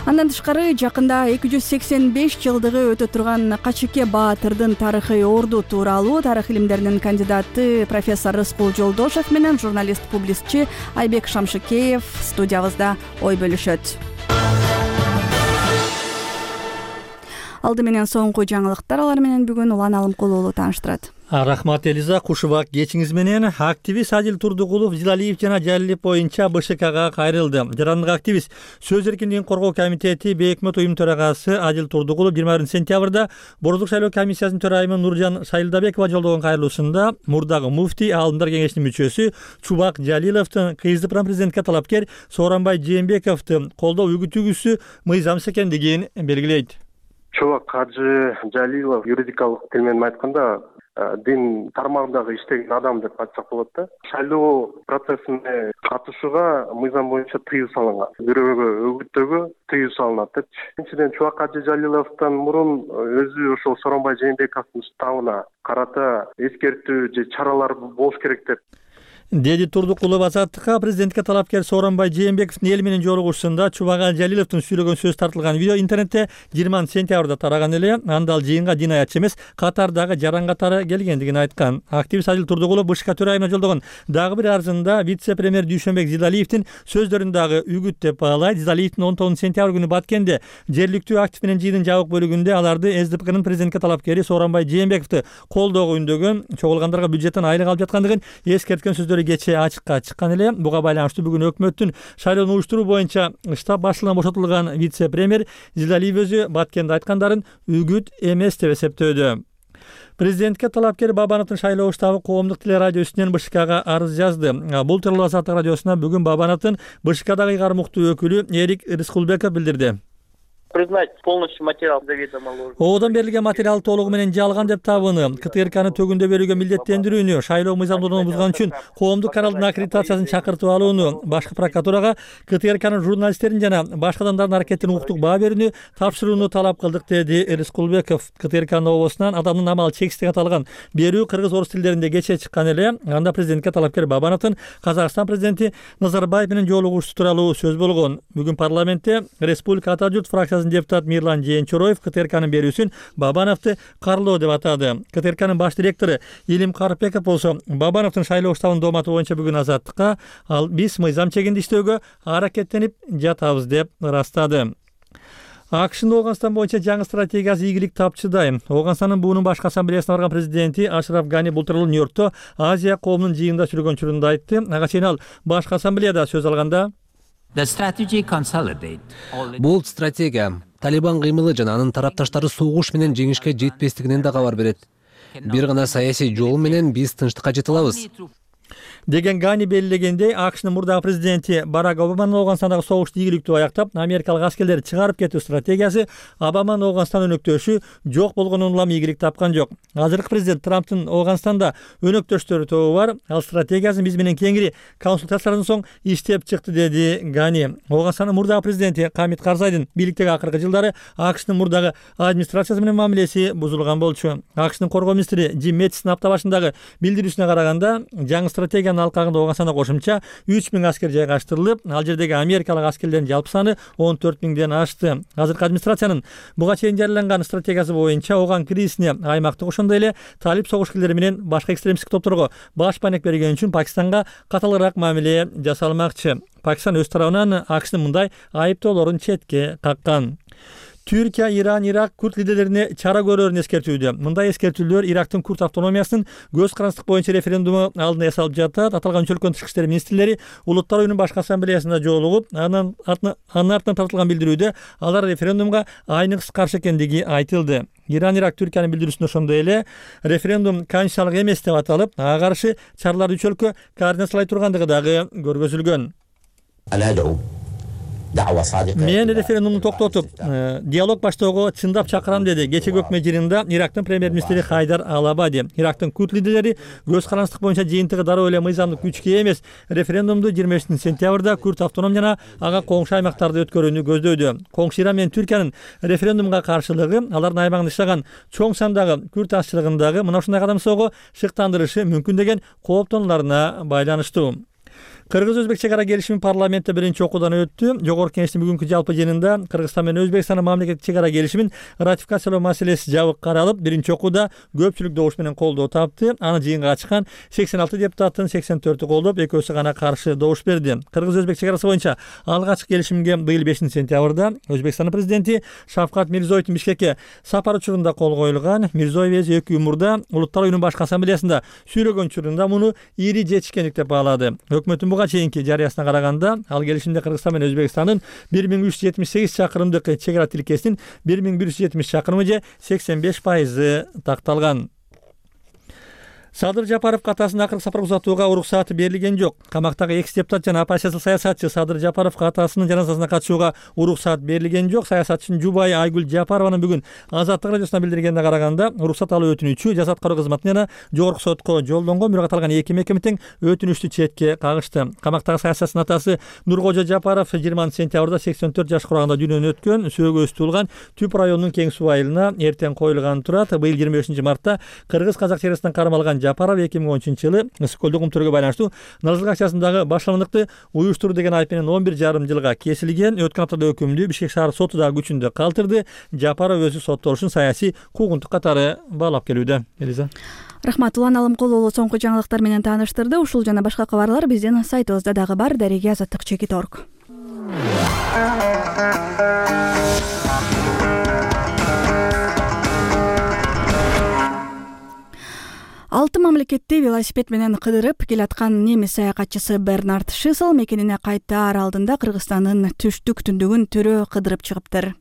Андан тышкары жакында эки жүз сексен беш жылдыгы өтө турган Качыке Баатырдын тарыхый орду тууралуу тарых илимдеринин кандидаты профессор Рыскул Жолдошев менен журналист-публистчи Айбек Шамшыкеев студиябызда ой бөлүшөт. Алды менен соңку жаңылыктар, алар менен бүгүн Улан Алымкулуу тааныштырат. Рахмат Элиза, кушубак кечиңиз менен. Активист Адил Турдугулов Зилалиев жана Жалилов боюнча БШКга кайрылды. Жарандык активист Сөз эркиндигин коргоо комитети Бейөкмөт уюм төрагасы Адил Турдугулов жыйырма биринчи сентябрда Борбордук шайлоо комиссиясынын төрайымы Нуржан Сайылдабекова жолдогон кайрылуусунда мурдагы муфтий, Аалымдар кеңешинин мүчөсү Чубак Жалиловдун кызы президентке талапкер Сооронбай Жээнбековду колдоо үгүтүүгүсү мыйзамсыз экендигин белгилейт. Чубак Кажы Жалилов юридикалык тил менен айтканда дин тармагындагы иштеген адам деп айтсак болот да. Шайлоо процессине катышууга мыйзам боюнча тыюу салынган. Бирөөгө өгүттөөгө тыюу салынат деп. Экинчиден Чубак Кажы Жалиловдон мурун өзү ошол Сооронбай Жээнбековдун уставына карата эскертүү же чаралар болуш керек деп деди Турдукулов Азаттыкка. Президентке талапкер Сооронбай Жээнбековдун эл менен жолугушуусунда Чубак Жалиловдун сүйлөгөн сөз тартылган видео интернетте жыйырманчы сентябрда тараган эле. Анда ал жыйынга дин аятчы эмес, катардагы жаран катары келгендигин айткан. Активист Адил Турдугулов БШК төрайымына жолдогон дагы бир арызында вице-премьер Дүйшөнбек Зилалиевдин сөздөрүн дагы үгүт деп баалайт. Зилалиевдин он тогузунчу сентябрь күнү Баткенде жергиликтүү актив менен жыйындын жабык бөлүгүндө аларды СДПКнын президентке талапкери Сооронбай Жээнбековду колдоого үндөгөн, чогулгандарга бюджеттен айлык алып жаткандыгын эскерткен сөздөр кечээ ачыкка чыккан эле. Буга байланыштуу бүгүн өкмөттүн шайлоону уюштуруу боюнча штаб башчылыгынан бошотулган вице-премьер Зилалиев өзү Баткенде айткандарын үгүт эмес деп эсептөөдө. Президентке талапкер Бабановдун шайлоо штабы коомдук телерадио үстүнөн БШКга арыз жазды. Бул тууралуу Азаттык радиосуна бүгүн Бабановдун БШКдагы ыйгармуктуу өкүлү Эрик Рыскулбеков билдирди. Признать полностью материал заведомо ложным. Оодон берилген материал толугу менен жалган деп табыны. КТРКны төгүндө берүүгө милдеттендирүүнү, шайлоо мыйзамдуулугун бузган үчүн коомдук каналдын аккредитациясын чакыртып алууну, башкы прокуратурага КТРКнын журналисттерин жана башка адамдардын аракетине укуктук баа берүүнү тапшырууну талап кылдык, деди Рыскулбеков. КТРКнын обосунан адамдын амалы чексиз деп аталган берүү кыргыз орус тилдеринде кечээ чыккан эле. Анда президентке талапкер Бабановдун Казакстан президенти Назарбаев менен жолугушуу тууралуу сөз болгон. Бүгүн парламентте Республика Ата журт фракциясынын депутат Мирлан Жээнчороев КТРКнын берүүсүн Бабановду карлоо деп атады. КТРКнын баш директору Илим Карпеков болсо Бабановдун шайлоо штабынын дооматы боюнча бүгүн Азаттыкка ал биз мыйзам чегинде иштөөгө аракеттенип жатабыз деп ырастады. АКШнын Ооганстан боюнча жаңы стратегиясы ийгилик тапчыдай. Ооганстандын буунун башкы ассамблеясына барган президенти Ашраф Гани бул тууралуу Нью-Йоркто Азия коомунун жыйынында сүйлөгөн учурунда айтты. Ага чейин ал башкы ассамблеяда сөз алганда бул стратегия Талибан кыймылы жана анын тарапташтары согуш менен жеңишке жетпестигинен да кабар берет. Бир гана саясий жол менен биз тынчтыкка жете алабыз деген Гани белгилегендей, АКШнын мурдагы президенти Барак Обаманын Ооганстандагы согушту ийгиликтүү аяктап, америкалык аскерлерди чыгарып кетүү стратегиясы Обаманын Ооганстан өнөктөшү жок болгонун улам ийгилик тапкан жок. Азыркы президент Трамптын Ооганстанда өнөктөштөрү тобу бар. Ал стратегиясын биз менен кеңири консультациялардан соң иштеп чыкты, деди Гани. Ооганстандын мурдагы президенти Хамид Карзайдын бийликтеги акыркы жылдары АКШнын мурдагы администрациясы менен мамилеси бузулган болчу. АКШнын коргоо министри Джим Мэттистин апта башындагы билдирүүсүнө караганда, жаңы стратегиянын алкагында Ооганстанда кошумча үч миң аскер жайгаштырылып, ал жердеги америкалык аскерлердин жалпы саны он төрт миңден ашты. Азыркы администрациянын буга чейин жарыяланган стратегиясы боюнча ооган кризисине аймактык ошондой эле талип согушкерлери менен башка экстремисттик топторго баш байнек берген үчүн Пакистанга каталыраак мамиле жасалмакчы. Пакистан өз тарабынан АКШнын мындай айыптоолорун четке каккан. Түркия, Иран, Ирак курд лидерлерине чара көрөрүн эскертүүдө. Мындай эскертүүлөр Ирактын курд автономиясынын көз карандык боюнча референдуму алдында ясалып жатат. Аталган үч өлкөнүн тышкы иштер министрлери Улуттар уюмунун башкы ассамблеясында жолугуп, анын артынан тартылган билдирүүдө алар референдумга айныксыз каршы экендиги айтылды. Иран, Ирак Түркиянын билдирүүсүндө ошондой эле референдум конституциялык эмес деп аталып, ага каршы чараларды үч өлкө координациялай тургандыгы дагы көргөзүлгөн. Мен референдумду токтотуп, диалог баштоого чындап чакырам деди кечеги өкмөт жыйынында Ирактын премьер-министри Хайдар Ал-Абади. Ирактын курд лидерлери көз карандык боюнча жыйынтыгы дароо эле мыйзамдык күчкө эмес, референдумду жыйырма бешинчи сентябрда курд автоном жана ага коңшу аймактарды өткөрүүнү көздөйдү. Коңшу Иран менен Түркиянын референдумга каршылыгы алардын аймагында жашаган чоң сандагы курд азчылыгындагы мына ушундай кадамсоого шыктандырышы мүмкүн деген кооптонууларына байланыштуу. Кыргыз-Өзбек чек ара келишими парламентте биринчи окуудан өттү. Жогорку Кеңештин бүгүнкү жалпы жыйынында Кыргызстан менен Өзбекстандын мамлекеттик чек ара келишимин ратификациялоо маселеси жабык каралып, биринчи окууда көпчүлүк добуш менен колдоо тапты. Аны жыйынга катышкан сексен алты депутаттын сексен төртү колдоп, экөөсү гана каршы добуш берди. Кыргыз-Өзбек чек арасы боюнча алгачкы келишимге быйыл бешинчи сентябрда Өзбекстандын президенти Шавкат Мирзиёевдун Бишкекке сапары учурунда кол коюлган. Мирзиёев эки күн мурда Улуттар уюмунун башкы ассамблеясында сүйлөгөн учурунда муну ири жетишкендик деп баалады. Өкмөттүн буга чейинки жарыясына караганда, ал келишимде Кыргызстан менен Өзбекстандын бир миң үч жүз жетимиш сегиз чакырымдык чек ара тилкесинин бир миң бир жүз жетимиш чакырымы же сексен беш пайызы такталган. Садыр Жапаровго атасын акыркы сапарга узатууга уруксаты берилген жок. Камактагы экс депутат жана оппозициялык саясатчы Садыр Жапаровго атасынын жаназасына катышууга уруксат берилген жок. Саясатчынын жубайы Айгүл Жапарованын бүгүн Азаттык радиосуна билдиргенине караганда, уруксат алуу өтүнүчү Жаза аткаруу кызматына жана жогорку сотко жолдонгон, бирок аталган эки мекеме тең өтүнүчтү четке кагышты. Камактагы саясатчынын атасы Нуркожо Жапаров жыйырманчы сентябрда сексен төрт жаш кураганда дүйнөдөн өткөн. Сөөгөсү туулган Түп районунун Кең суу айылына эртең коюлган турат. Быйыл жыйырма бешинчи мартта кыргыз-казак чек арасынан кармалган Жапаров эки миң он үчүнчү жылы ысык көлдү кумтөргө байланыштуу Налжылык акчасындагы башландыкты уюштуруу деген айып менен он бир жарым жылга кесилген. Өткөн аптада өкүмдү Бишкек шаар соту да күчүндө калтырды. Жапаров өзү соттолушун саясий куугунтук катары баалап келүүдө. Элиза. Рахмат. Улан Алымкулуу соңку жаңылыктар менен тааныштырды. Ушул жана башка кабарлар биздин сайтыбызда дагы бар. Дареге азаттык чекит точка орг. Алты мамлекетти велосипед менен кыдырып келаткан немис саякатчысы Бернард Шисел мекенине кайтаар алдында Кыргызстандын түштүк түндүгүн төрө кыдырып чыгыптыр.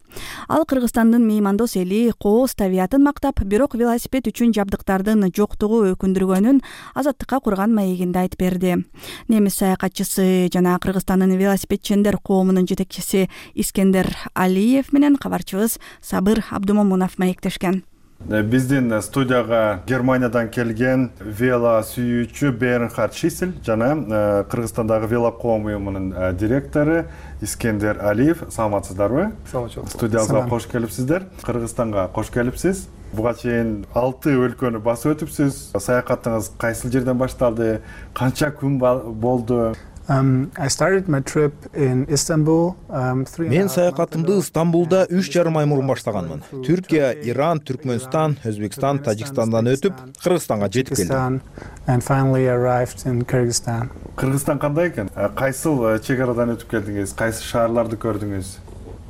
Ал Кыргызстандын меймандос эли, кооз табиятын мактап, бирок велосипед үчүн жабдыктардын жоктугу өкүндүргөнүн Азаттыкка курган маегинде айтып берди. Немис саякатчысы жана Кыргызстандын велосипедчендер коомунун жетекчиси Искендер Алиев менен кабарчыбыз Сабыр Абдумомунов маектешкен. Биздин студияга Германиядан келген вело сүйүүчү Бернхард Шисель жана Кыргызстандагы вело коом уюмунун директору Искендер Алиев. Саламатсыздарбы? Студиябызга кош келипсиздер. Кыргызстанга кош келипсиз. Буга чейин алты өлкөнү басып өтүпсүз. Саякатыңыз кайсыл жерден башталды? Канча күн болду? Um, I started my trip in Istanbul. Um, Мен саякатымды Стамбулда үч жарым ай мурун баштаганмын. Түркия, Иран, Түркмөнстан, Өзбекстан, Тажикстандан өтүп, Кыргызстанга жетип келдим. And finally arrived in Kyrgyzstan. Кыргызстан кандай экен? Кайсыл чек арадан өтүп келдиңиз? Кайсы шаарларды көрдүңүз?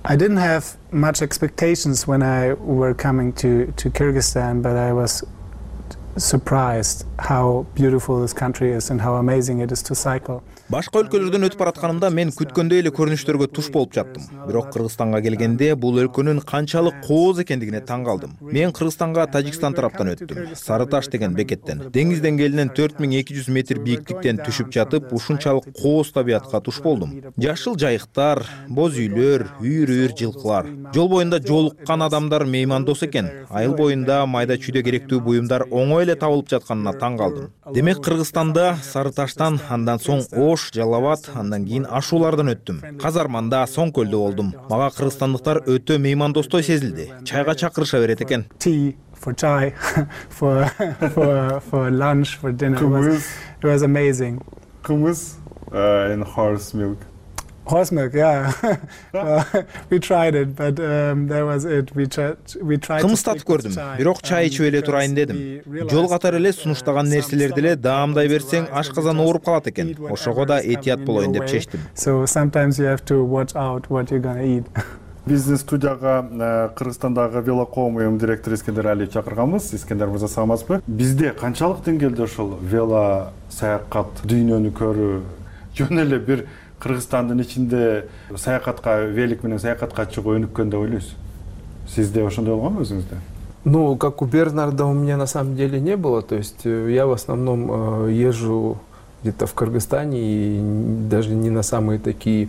I didn't have much expectations when I were coming to to Kyrgyzstan, but I was surprised how beautiful this country is and how amazing it is to cycle. Башка өлкөлөрдөн өтүп баратканымда мен күткөндөй эле көрүнүштөргө туш болуп жаттым. Бирок Кыргызстанга келгенде бул өлкөнүн канчалык кооз экендигине таң калдым. Мен Кыргызстанга Тажикстан тараптан өттүм. Сары таш деген бекеттен. Деңиз деңгээлинен төрт миң эки жүз метр бийиктиктен түшүп жатып, ушунчалык кооз табиятка туш болдум. Жашыл жайыктар, боз үйлөр, үйүр-үйүр жылкылар. Жол боюнда жолуккан адамдар меймандос экен. Айыл боюнда майда чүйдө керектүү буюмдар оңой эле табылып жатканына таң калдым. Демек Кыргызстанда Сары Таштан, андан соң Ош, Жалал Абад, андан кийин Ашуулардан өттүм. Казарманда, Соң көлдө болдум. Мага кыргызстандыктар өтө меймандостой сезилди. Чайга чакырыша берет экен. For chai, for for for lunch, for dinner. It was, it was amazing. Kumuz uh, and horse milk. Horse milk, yeah. Well, we tried it, but um, that was it. We tried. We tried. Кымыз татып көрдүм, бирок чай ичип эле турайын дедим. Жол катары эле сунуштаган нерселерди эле даамдай берсең, ашказан ооруп калат экен. Ошого да этият болоюн деп чечтим. So sometimes you have to watch out what you're gonna eat. Биздин студияга Кыргызстандагы велокоом уюм директору Искендер Алиев чакырганбыз. Искендер мырза, саламатсызбы? Бизде канчалык деңгээлде ошол вело саякат, дүйнөнү көрүү, жөн эле бир Кыргызстандын ичинде саякатка, велик менен саякатка чыгуу өнүккөн деп ойлойсуз? Сизде ошондой болгонбу өзүңүздө? Ну, как у Бернарда у меня на самом деле не было. То есть я в основном езжу где-то в Кыргызстане и даже не на самые такие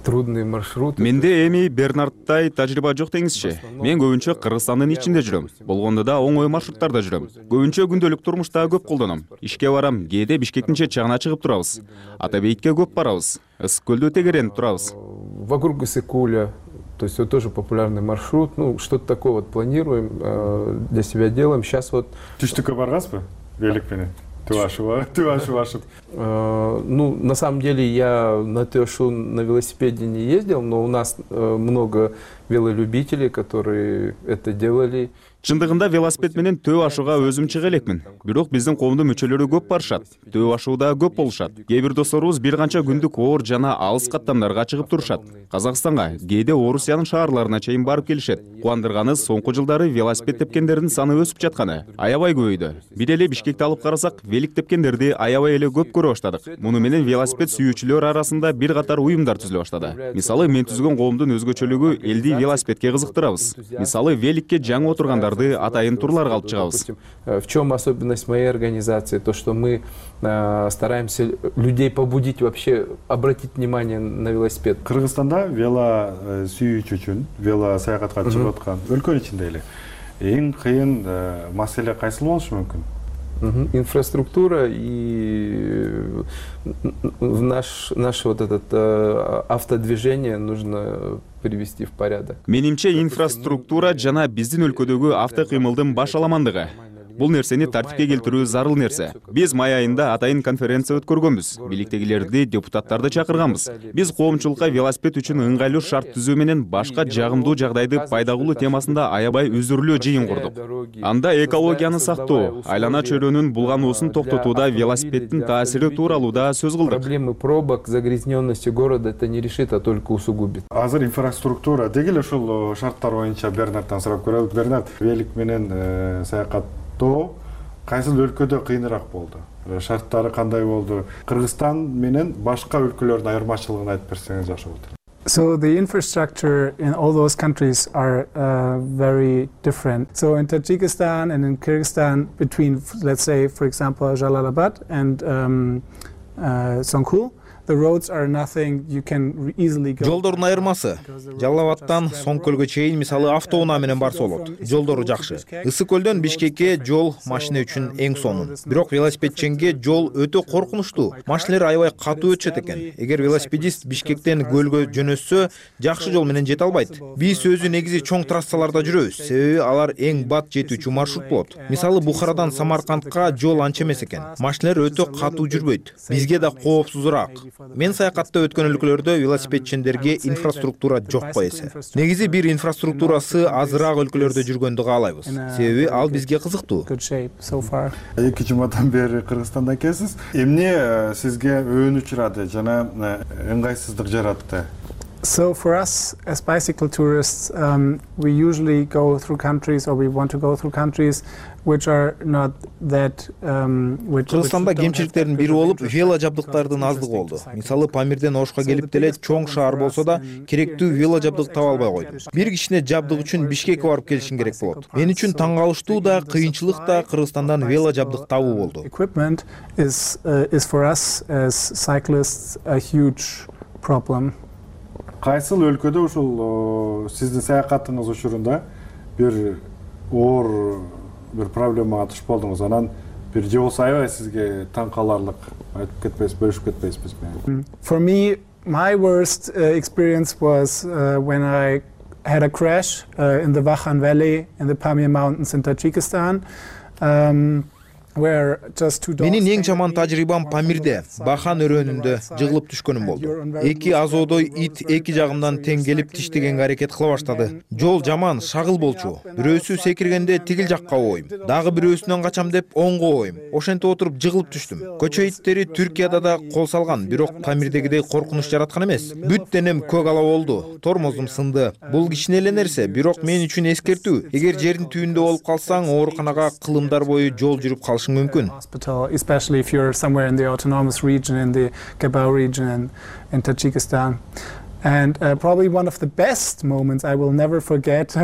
трудный маршрут. Менде эми Бернардтай тажрыйба жок деңизчи. Мен көбүнчө Кыргызстандын ичинде жүрөм. Болгондо да оңой маршруттарда жүрөм. Көбүнчө күндөлүк турмушта көп колдоном. Ишке барам, кээде Бишкектин чет жагына чыгып турабыз. Ата Бейитке көп барабыз. Ысык көлдө тегеренип турабыз. Вокруг Ысык-Куля, то есть это тоже популярный маршрут. Ну, что-то такое вот планируем, для себя делаем. Сейчас вот... Түштүккө баргансызбы? Велик менен? Тюашева, Тюашева. Ну, на самом деле я на Тюашу на велосипеде не ездил, но у нас много велолюбителей, которые это делали. Чындыгында велосипед менен Төө ашууга өзүм чыга элекмин. Бирок биздин коомдун мүчөлөрү көп барышат. Төө ашууда көп болушат. Кээ бир досторубуз бир канча күндүк оор жана алыс каттамдарга чыгып турушат. Казакстанга, кээде Орусиянын шаарларына чейин барып келишет. Кубандырганы соңку жылдары велосипед тепкендердин саны өсүп жатканы. Аябай көбөйдү. Бир эле Бишкекти алып карасак, велик тепкендерди аябай эле көп көрө баштадык. Муну менен велосипед сүйүүчүлөр арасында бир катар уюмдар түзүлө баштады. Мисалы, мен түзгөн коомдун өзгөчөлүгү элди велосипедке кызыктырабыз. Мисалы, великке жаңы отургандар атайын турлар алып чыгабыз. В чем особенность моей организации? То, что мы э, стараемся людей побудить вообще обратить внимание на велосипед. Кыргызстанда вело сүйүүчү үчүн, вело саякатка чыгып аткан өлкөнүн ичинде эле эң кыйын маселе кайсы болушу мүмкүн? Инфраструктура и в наш, наш вот этот э, автодвижение нужно привести в порядок. Менимче инфраструктура жана биздин өлкөдөгү автокыймылдын баш аламандыгы. Бул нерсени тартипке келтирүү зарыл нерсе. Биз май айында атайын конференция өткөргөнбүз. Бийликтегилерди, депутаттарды чакырганбыз. Биз коомчулукка велосипед үчүн ыңгайлуу шарт түзүү менен башка жагымдуу жагдайды пайда кылуу темасында аябай үзүрлүү жыйын курдук. Анда экологияны сактоо, айлана чөйрөнүн булгануусун токтотууда велосипеддин таасири тууралуу да сөз кылдык. Проблемы пробок, загрязненности города это не решит, а только усугубит. Азыр инфраструктура дегеле ушул шарттар боюнча Бернардтан сурап көрөлүк. Бернард, велик менен саякат кайсыл өлкөдө кыйыныраак болду? Шарттары кандай болду? Кыргызстан менен башка өлкөлөрдүн айырмачылыгын айтып берсеңиз жакшы болот. So the infrastructure in all those countries are uh, very different. So in Tajikistan and in Kyrgyzstan, between, let's say, for example, Jalalabad and um, uh, Songkul, the roads are nothing. You can easily go. Жолдордун айырмасы. Жалал-Абадтан Соң көлгө чейин мисалы автоунаа менен барса болот. Жолдору жакшы. Ысык көлдөн Бишкекке жол машина үчүн эң сонун. Бирок велосипедченге жол өтө коркунучтуу. Машиналар аябай катуу өтүшөт экен. Эгер велосипедист Бишкектен көлгө жөнөтсө, жакшы жол менен жете албайт. Биз өзү негизи чоң трассаларда жүрөбүз. Себеби алар эң бат жетүүчү маршрут болот. Мисалы, Бухарадан Самаркандка жол анча эмес экен. Машиналар өтө катуу жүрбөйт. Бизге да коопсузураак. Мен саякатта өткөн өлкөлөрдө велосипедчендерге инфраструктура жок эсе. Негизи бир инфраструктурасы азыраак өлкөлөрдө жүргөндү каалайбыз. Себеби ал бизге кызыктуу. Эки жумадан бери Кыргызстанда экенсиз. Эмне сизге өөн учурады жана ыңгайсыздык жаратты? So for us as bicycle tourists, um, we usually go through countries, or we want to go through countries which are not that um which Кыргызстанда кемчиликтердин бири болуп вело жабдыктардын аздыгы болду. Мисалы, Памирден Ошко келип деле чоң шаар болсо да керектүү вело жабдык таба албай койдум. Бир кичине жабдык үчүн Бишкекке барып келишин керек болот. Мен үчүн таң калыштуу да, кыйынчылык да Кыргызстандан вело жабдык табуу болду. Equipment is uh, is for us as cyclists a huge problem. Кайсыл өлкөдө ушул сиздин саякатыңыз учурунда бир оор бир проблемага туш болдуңуз, анан бир же болсо аябай сизге таң каларлык айтып кетпейсиз, бөлүшүп кетпейсизби? For me, my worst uh, experience was uh, when I had a crash uh, in the Vakhan Valley in the Pamir Mountains in Tajikistan. Um, Менин эң жаман тажрыйбам Памирде, Бахан өрөөнүндө жыгылып түшкөнүм болду. Эки азодой ит эки жагымдан тең келип тиштегенге аракет кыла баштады. Жол жаман, шагыл болчу. Бирөөсү секиргенде тигил жакка ойм, дагы бирөөсүнөн качам деп оңго ойм. Ошентип отуруп жыгылып түштүм. Көчө иттери Түркияда да кол салган, бирок Памирдегидей коркунуч жараткан эмес. Бүт денем көк ала болду, тормозум сынды. Бул кичине эле нерсе, бирок мен үчүн эскертүү. Эгер жердин түбүндө болуп калсаң, ооруканага кылымдар бою жол жүрүп калыш hospital, especially if you're somewhere in the autonomous region, in the Gabao region in, in Tajikistan. And uh, probably one of the best moments I will never forget.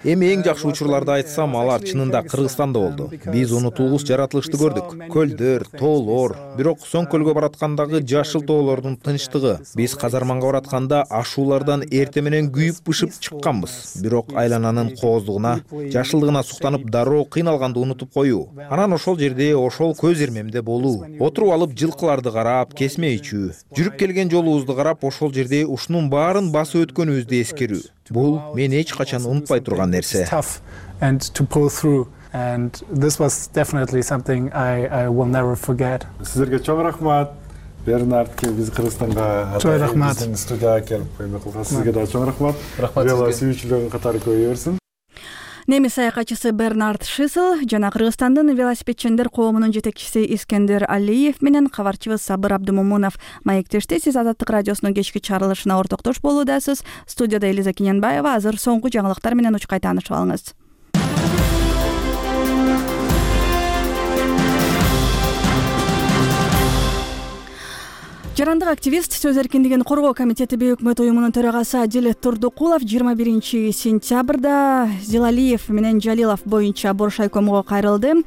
Эми эң жакшы учурларды айтсам, алар чынында Кыргызстанда болду. Биз унутулгус жаратылышты көрдүк. Көлдөр, тоолор, бирок Соң көлгө бараткандагы жашыл тоолордун тынчтыгы. Биз Казарманга баратканда ашуулардан эрте менен күйүп-бышып чыкканбыз. Бирок айлананын кооздугуна, жашылдыгына суктанып дароо кыйналганды унутуп коюу. Анан ошол жерде, ошол көз ирмемде болуу. Отуруп алып жылкыларды карап, кесме ичүү. Жүрүп келген жолубузду карап, ошол жерде ушунун баарын басып өткөнүбүздү эскерүү. Бул мен эч качан унутпай турган нерсе. And to pull through, and this was definitely something I I will never forget. Сизерге чоң рахмат. Бернард ке биз Кыргызстанга чоң рахмат. Студияга келип көймөк кылган. Сизге да чоң рахмат. Рахмат сизге. Вела сүйүүчүлөрүн катары көбөйө берсин. Немис саякатчысы Бернард Шисел жана Кыргызстандын велосипедчиндер коомунун жетекчиси Искендер Алиев менен кабарчыбыз Сабыр Абдымомунов маектешти. Сиз Азаттык радиосунун кечки чыгарылышына ортоктош болуудасыз. Студияда Элиза Кененбаева. Азыр соңку жаңылыктар менен учкай таанышып алыңыз. Жарандык активист, сөз эркиндигин коргоо комитети бейөкмөт уюмунун төрагасы Адил Турдукулов жыйырма биринчи сентябрда Зилалиев менен Жалилов боюнча Боршайкомго кайрылды.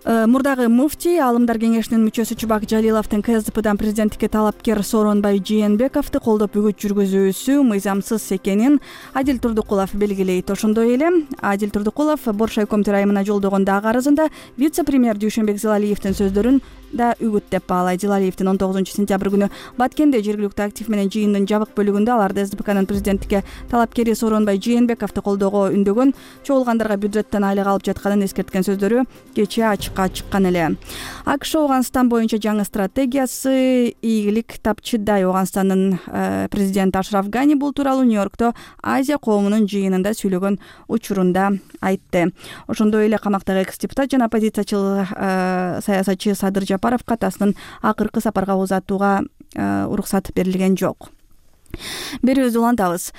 Мурдагы муфтий, Аалымдар кеңешинин мүчөсү Чубак Жалиловдун КСДПдан президенттикке талапкер Сооронбай Жээнбековду колдоп үгүт жүргүзүүсү мыйзамсыз экенин Адил Турдукулов белгилейт. Ошондой эле Адил Турдукулов Боршайком төрайымына жолдогон дагы арызында вице-премьер Дүйшөнбек Зилалиевдин сөздөрүн да үгүт деп баалайт. Зилалиевдин он тогузунчу сентябрь күнү Баткенде жергиликтүү актив менен жыйындын жабык бөлүгүндө аларды СДПКнын президенттикке талапкери Сооронбай Жээнбековду колдоого үндөгөн, чогулгандарға бюджеттен айлык алып жатканын эскерткен сөздөрү кечээ ачыкка чыккан эле. АКШ Ооганстан боюнча жаңы стратегиясы ийгилик тапчыдай. Ооганстандын президенти Ашраф Гани бул тууралуу Нью-Йоркто Азия коомунун жыйынында сүйлөгөн учурунда айтты. Ошондой эле камактагы экс-депутат жана оппозициячыл саясатчы Садыр Жапаровго атасынын акыркы сапарга узатууга уруксат берилген жок. Берүүбүздү улантабыз.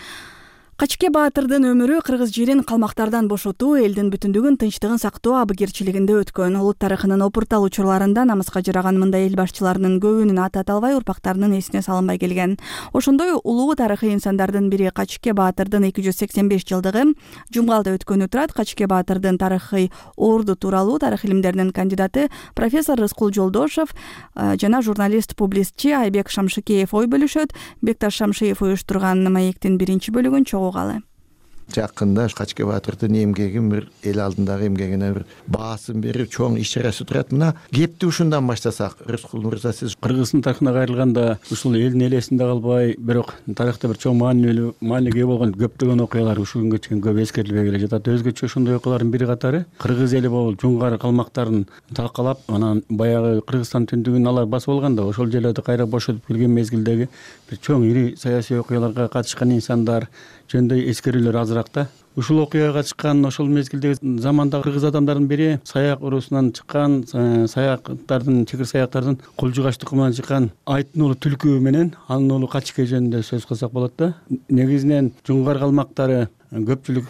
Качке Баатырдын өмүрү кыргыз жерин калмактардан бошотуу, элдин бүтүндүгүн, тынчтыгын сактоо абыгерчилигинде өткөн. Улут тарыхынын опуртал учурларында намыска жараган мындай эл башчыларынын көбүнүн аты аталбай, урпактарынын эсине салынбай келген. Ошондой улуу тарыхый инсандардын бири Качке Баатырдын эки жүз сексен беш жылдыгы Жумгалда өткөнү турат. Качке Баатырдын тарыхый орду тууралуу тарых илимдеринин кандидаты профессор Рыскул Жолдошов жана журналист-публицистчи Айбек Шамшыкеев ой бөлүшөт. Бекташ Шамшиев уюштурган маектин биринчи бөлүгүн чогуу Жакында Качке Баатырдын эмгегин бир эл алдындагы эмгегине бир баасын берип чоң иш-чарасы турат. Мына кепти ушундан баштасак, Рыскул мырза, сиз Кыргыздын тарыхына кайрылганда ушул элдин элесинде калбай, бирок тарыхта бир чоң маанилүү, маанилүүгө болгон көптөгөн окуялар ушул күнгө чейин көп эскерилбей келе жатат. Өзгөчө ошондой окуялардын бири катары кыргыз эли болуп жунгар калмактарын талкалап, анан баягы Кыргызстан түндүгүн алар басып алганда, ошол жерлерди кайра бошотуп келген мезгилдеги бир чоң ири саясий окуяларга катышкан инсандар жөнүндө эскерүүлөр азыраак да. Ушул окуяга катышкан ошол мезгилдеги замандагы кыргыз адамдардын бири саяк урусунан чыккан, саяктардын, чекир саяктардын Кулжугач тукумунан чыккан Айтын уулу Түлкү менен анын уулу Качке жөнүндө сөз кылсак болот да. Негизинен жунгар калмактары көпчүлүк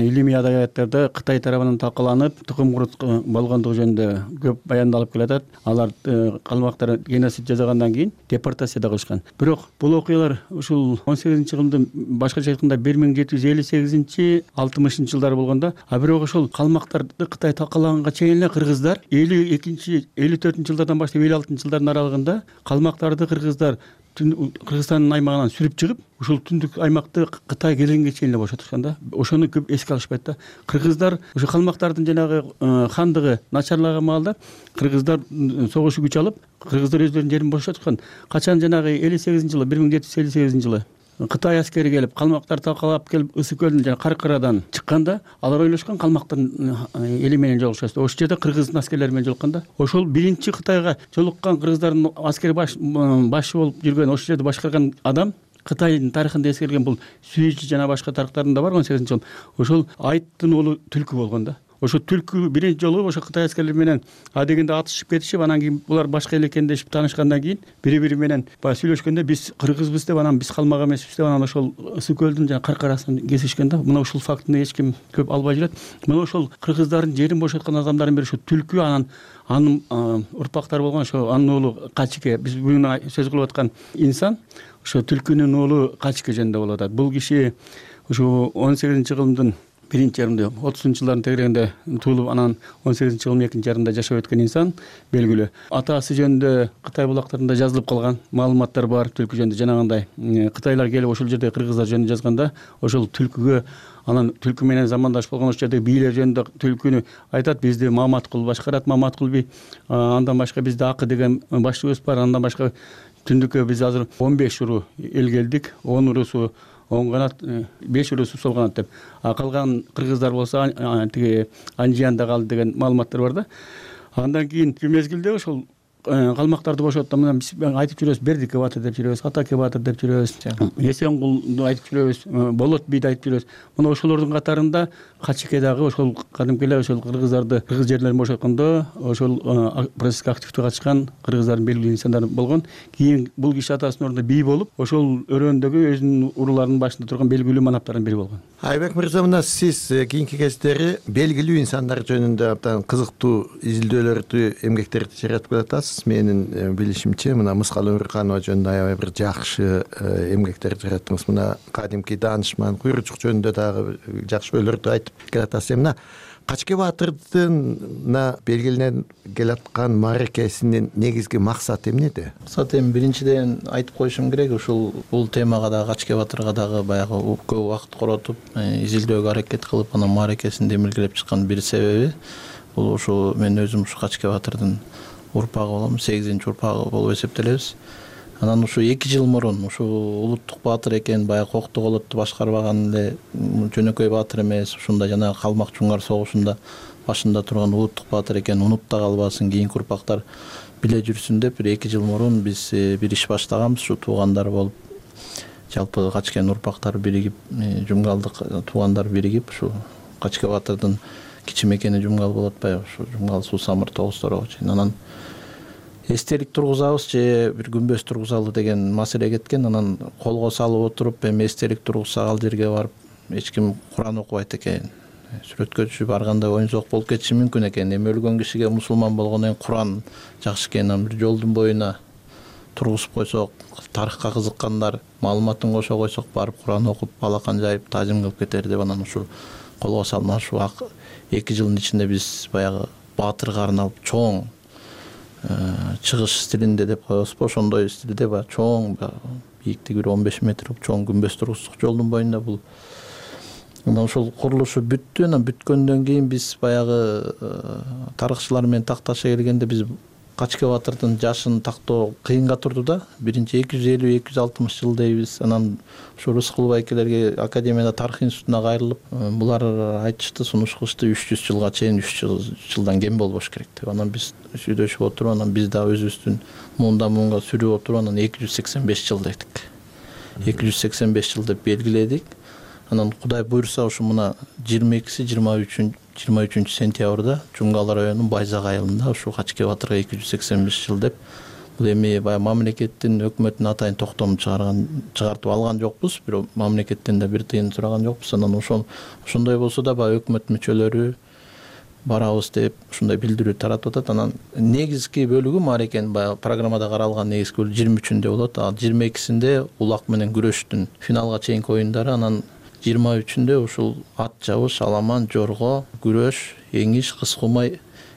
илимий адабияттарда Кытай тарабынан талкаланып, тукум курут болгондугу жөнүндө көп баяндалып келатат. Алар калмактар геноцид жасагандан кийин депортация да кылышкан. Бирок бул окуялар ушул он сегизинчи кылымдын башкача айтканда бир миң жети жүз элүү сегизинчи алтымышынчы жылдары болгондо, а бирок ошол калмактарды Кытай талкалаганга чейин эле кыргыздар элүү экинчи элүү төртүнчү жылдардан баштап элүү алтынчы жылдардын аралыгында калмактарды кыргыздар Кыргызстандын аймагынан сүрүп чыгып, ушул түндүк аймакты Кытай келгенге чейин эле бошотушкан да. Ошону көп эске алышпайт да. Кыргыздар ошо калмактардын жанагы хандыгы начарлаган маалда кыргыздар согушу күч алып, кыргыздар өздөрүнүн жерин бошотушкан. Качан жанагы элүү сегизинчи жылы, бир миң жети жүз элүү сегизинчи жылы Кытай аскери келип, калмактар талкалап келип, Ысык көлдүн жана Каркырадан чыкканда, алар ойлошкон калмактын эли менен жолугушат. Ошол жерде кыргыздын аскерлери менен жолуккан да. Ошол биринчи Кытайга жолуккан кыргыздардын аскер башы болуп жүргөн, ошол жерде башкарган адам Кытайдын тарыхында эскерилген бул Сүйүчү жана башка тарыхтарында бар он сегизинчи жыл. Ошол Айттын уулу Түлкү болгон да. Ошо Түлкү биринчи жолу ошо Кытай аскерлери менен адегенде атышып кетишип, анан кийин булар башка эл экендешип таанышкандан кийин бири-бири менен баягы сүйлөшкөндө биз кыргызбыз деп, анан биз калмак эмеспиз деп, анан ошол Ысык көлдүн жана Каркарасын кесишкен да. Мына ушул фактыны эч ким көп албай жүрөт. Мына ошол кыргыздардын жерин бошоткон адамдардын бири ошо Түлкү, анан анын урпактары болгон ошо анын уулу Качике. Биз бүгүн сөз кылып аткан инсан ошо Түлкүнүн уулу Качике жөнүндө болуп атат. Бул киши ошо он сегизинчи кылымдын биринчи жарымында, отузунчу жылдардын тегерегинде туулуп, анан он сегизинчи кылымдын экинчи жарымында жашап өткөн инсан белгилүү. Атасы жөнүндө Кытай булактарында жазылып калган маалыматтар бар Түлкү жөнүндө. Жанагындай Кытайлар келип ошол жерде кыргыздар жөнүндө жазганда, ошол Түлкүгө, анан Түлкү менен замандаш болгон ошол жердеги бийлер жөнүндө Түлкүнү айтат, бизди Маматкул башкарат, Маматкул би, андан башка бизде Акы деген башчыбыз бар, андан башка түндүккө биз азыр он беш уру эл келдик, он урусу оң канат, беш урусу сол канат деп. А калган кыргыздар болсо тиги Анжиянда калды деген маалыматтар бар да. Андан кийин мезгилде ошол калмактарды бошотту, мына биз айтып жүрөбүз, Бердик Кебатыр деп жүрөбүз, Ата Кебатыр деп жүрөбүз, Эсенгулду айтып жүрөбүз, Болот бийди айтып жүрөбүз. Мына ошолордун катарында Качике дагы ошол кадимки эле ошол кыргыздарды кыргыз жерлерин бошоткондо ошол процесске активдүү катышкан кыргыздардын белгилүү инсандары болгон. Кийин бул киши атасынын ордуна бий болуп, ошол өрөөндөгү өзүнүн уруларынын башында турган белгилүү манаптардын бири болгон. Айбек мырза, мына сиз кийинки кездери белгилүү инсандар жөнүндө абдан кызыктуу изилдөөлөрдү, эмгектерди жаратып келатасыз. Менин билишимче, мына Мыскал Өмүрканова жөнүндө аябай бир жакшы эмгектер жараттыңыз. Мына кадимки даанышман Куйручук жөнүндө дагы жакшы ойлорду айтып келатасыз. Мына Качке Баатырдын мына белгилене келаткан мааракесинин негизги максаты эмнеде? Максаты эми биринчиден айтып коюшум керек, ушул бул темага дагы Качке Баатырга дагы баягы көп убакыт коротуп, изилдөөгө аракет кылып, анан мааракесин демилгелеп чыккан бир себеби бул ушу мен өзүм ушу Качке Баатырдын урпагы болом, сегизинчи урпагы болуп эсептелебиз. Анан ушу эки жыл мурун ушу улуттук баатыр экен, баягы Кокту колотту башкарбаган эле жөнөкөй баатыр эмес, ушунда жана Калмак Чуңгар согушунда башында турган улуттук баатыр экен, унуп да калбасын, кийинки урпактар биле жүрсүн деп бир эки жыл мурун биз бир иш баштаганбыз. Ушу туугандар болуп, жалпы Качкенин урпактары биригип, Жумгалдык туугандар биригип, ушу Качке Баатырдын кичи мекени Жумгал болуп атпайбы, ушу Жумгал Суу Самыр Тогуз-Торого чейин. Анан эстелик тургузабыз же бир күмбөз тургузалы деген маселе кеткен. Анан колго салып отуруп, эми эстелик тургузсак ал жерге барып эч ким Куран окубайт экен, сүрөткөчү барганда оюнсок болуп кетиши мүмкүн экен. Эми өлгөн кишиге мусулман болгондон кийин Куран жакшы экен, анан бир жолдун боюна тургузуп койсок, тарыхка кызыккандар маалыматын кошо койсок, барып Куран окуп, балакан жайып, таажим кылып кетер деп анан ушу колго салмак ушу эки жылдын ичинде биз баягы баатырга арналып чоң чыгыш стилинде деп коебузбу, ошондой стилде баягы чоң, бийиктиги бир он беш метр чоң күмбөз тургуздук жолдун боюнда. Бул анан ошол курулушу бүттү. Анан бүткөндөн кийин биз баягы тарыхчылар менен такташа келгенде биз Качке Баатырдын жашын тактоо кыйынга турду да. Биринчи эки жүз элүү эки жүз алтымыш жыл дейбиз. Анан ушу Рыскул байкелерге Академияда тарых институтуна кайрылып, булар айтышты, сунуш кылышты, үч жүз жылга чейин үч жылдан кем болбош керек деп. Анан биз сүйлөшүп отуруп, анан биз да өзүбүздүн муундан муунга сүрүп отуруп, анан эки жүз сексен беш жыл дедик. эки жүз сексен беш жыл деп белгиледик. Анан Кудай буйрса ушу мына жыйырма экиси жыйырма үчүнчү сентябрда Жумгал районунун Байзак айылында ушу Качке Баатырга эки жүз сексен беш жыл деп, бул эми баягы мамлекеттин, өкмөттүн атайын токтом чыгарган чыгартып алган жокпуз, бирок мамлекеттен да бир тыйын сураган жокпуз. Анан ошол ошондой болсо да баягы өкмөт мүчөлөрү барабыз деп ушундай билдирүү таратып атат. Анан негизги бөлүгү мааракенин баягы программада каралган негизги бөлүгү жыйырма үчүндө болот. А жыйырма экисинде улак менен күрөштүн финалга чейинки оюндары, анан жыйырма үчүндө ушул ат жабыш, аламан, жорго, күрөш, эңиш, кыз кумай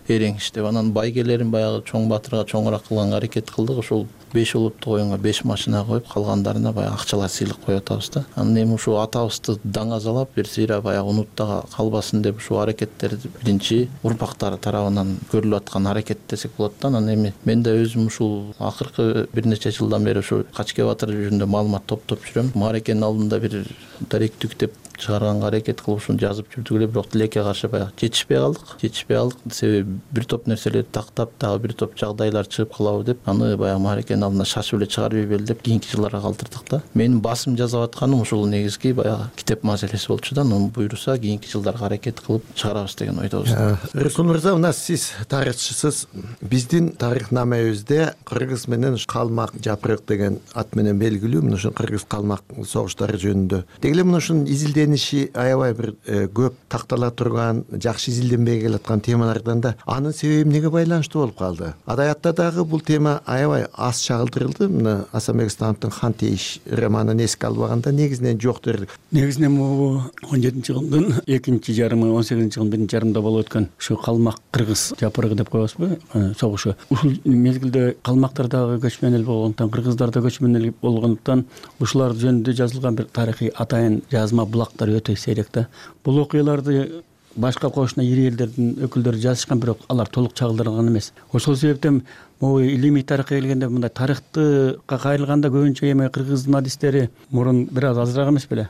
эрең анан байгелерин баягы чоң баатырга чоңураак кылганга аракет кылдык. Ошол беш улуттук оюнга беш машина коюп, калгандарына баягы акчалар сыйлык коюп атабыз да. Анан эми ушу атабызды даңазалап, бир сыйра баягы унутта калбасын деп ушу аракеттерди биринчи урпактар тарабынан көрүлүп аткан аракет десек болот да. Анан эми мен да өзүм ушул акыркы бир нече жылдан бери ушу Качке Батыр жөнүндө маалымат топтоп жүрөм. Мааракенин алдында бир даректик деп чыгарганга аракет кылып ушуну жазып жүрдүк эле, бирок тилекке каршы баягы жетишпей калдык. Жетишпей калдык себеби бир топ нерселерди тактап, дагы бир топ жагдайлар чыгып калабы деп, аны баягы мааракенин алдына шашып эле чыгарып ийбели деп кийинки жылдарга калтырдык да. Менин басым жасап атканым ушул негизги баягы китеп маселеси болчу да. Аны буйруса кийинки жылдарга аракет кылып чыгарабыз деген ойдобуз. Рыскул мырза, мына сиз тарыхчысыз. Биздин тарыхнамебизде кыргыз менен калмак жапырык деген ат менен белгилүү мына ушул кыргыз калмак согуштары жөнүндө. Деги эле мына ушунун изилдениши аябай бир көп тактала турган, жакшы изилденбей келаткан темалардан да анын себеби эмнеге байланыштуу болуп калды? Адаятта дагы бул тема аябай аз чагылдырылды. Мына Асанбек Становтун Хан тейиш романын эске албаганда негизинен жок дерлик. Негизинен бул он жетинчи жылдын экинчи жарымы, он сегизинчи жылдын биринчи жарымында болуп өткөн ушу калмак кыргыз жапырыгы деп коебузбу согушу. Ушул мезгилде калмактар дагы көчмөн эл болгондуктан, кыргыздар да көчмөн эл болгондуктан ушулар жөнүндө жазылган бир тарыхый атайын жазма булактар өтө сейрек да. Бул окуяларды башка кошуна ири элдердин өкүлдөрү жазышкан, бирок алар толук чагылдырылган эмес. Ошол себептен могу илимий тарыхка келгенде мындай тарыхты кайрылганда көбүнчө эми кыргыздын адистери мурун бир аз азыраак эмес беле?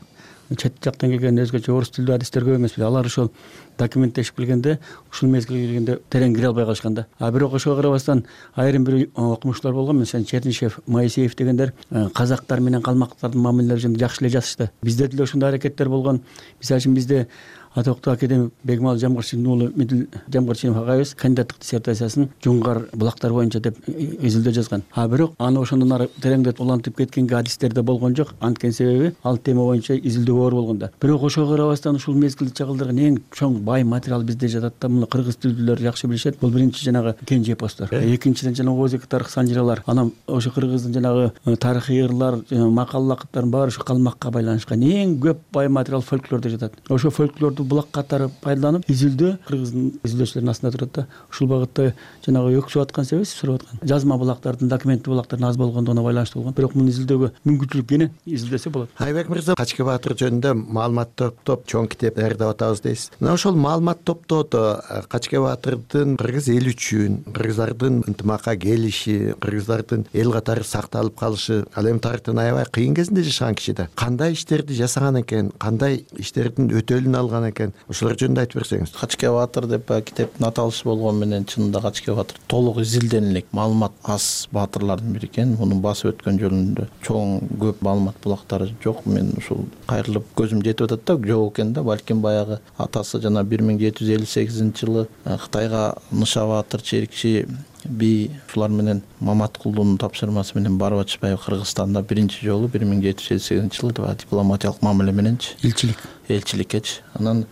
Чет жактан келген өзгөчө орус тилдүү адистер көп эмес беле? Алар ошол документтешип келгенде ушул мезгилге келгенде терең кире албай калышкан да. А бирок ошого карабастан айрым бир окумуштуулар болгон, мисалы Чернышев, Моисеев дегендер казактар менен калмактардын мамилелери жөнүндө жакшы эле жазышты. Бизде деле ушундай аракеттер болгон. Мисалы үчүн бизде атоктуу академик Бегмал Жамгырчинин уулу Мидил Жамгырчинов агайыбыз кандидаттык диссертациясын Жунгар булактар боюнча деп изилдөө жазган. А бирок аны ошондон ары тереңдетип улантып кеткенге адистерде болгон жок. Анткени себеби ал тема боюнча изилдөө оор болгон да. Бирок ошого карабастан ушул мезгилди чагылдырган эң чоң бай материал бизде жатат да. Муну кыргыз тилдүүлөр жакшы билишет. Бул биринчи жанагы кенже эпостор. Экинчиден жанагы Озеки тарых санжыралар. Анан ошо кыргыздын жанагы тарыхый ырлар, макал лакыттардын баары ушу калмакка байланышкан. Эң көп бай материал фольклордо жатат. Ошо фольклорду булак катары пайдаланып изилдөө кыргыздын изилдөөчүлөрүнүн астында турат да. Ушул багытта жанагы өксүп аткан себеби сурап аткан жазма булактардын, документтүү булактардын аз болгондугуна байланыштуу болгон. Бирок муну изилдөөгө мүмкүнчүлүк кene изилдесе болот. Айбек мырза, Качке Батыр жөнүндө маалымат топтоп чоң китеп даярдап атабыз дейсиз. Мына ошол маалымат топтоодо Качке Батырдын кыргыз эли үчүн, кыргыздардын ынтымакка келиши, кыргыздардын эл катары сакталып калышы, ал эми тарыхтын аябай кыйын кезинде жашаган киши да. Кандай иштерди жасаган экен, кандай иштердин өтөлүн алган экен? Ошолор жөнүндө айтып берсеңиз. Качке Батыр деп китептин аталышы болгону менен чынында Качке Батыр толук изилденилик маалымат аз баатырлардын бири экен. Мунун басып өткөн жөнүндө чоң көп маалымат булактары жок. Мен ушул кайрылып көзүм жетип атат да, жок экен да. Балким баягы атасы жана бир миң жети жүз элүү сегизинчи жылы Кытайга Ныша Батыр, Черикчи би ушулар менен Маматкулдун тапшырмасы менен барып ачпай Кыргызстанда биринчи жолу бир миң жети жүз элүү сегизинчи жылы дипломатиялык мамиле мененчи элчилик элчиликкечи. Анан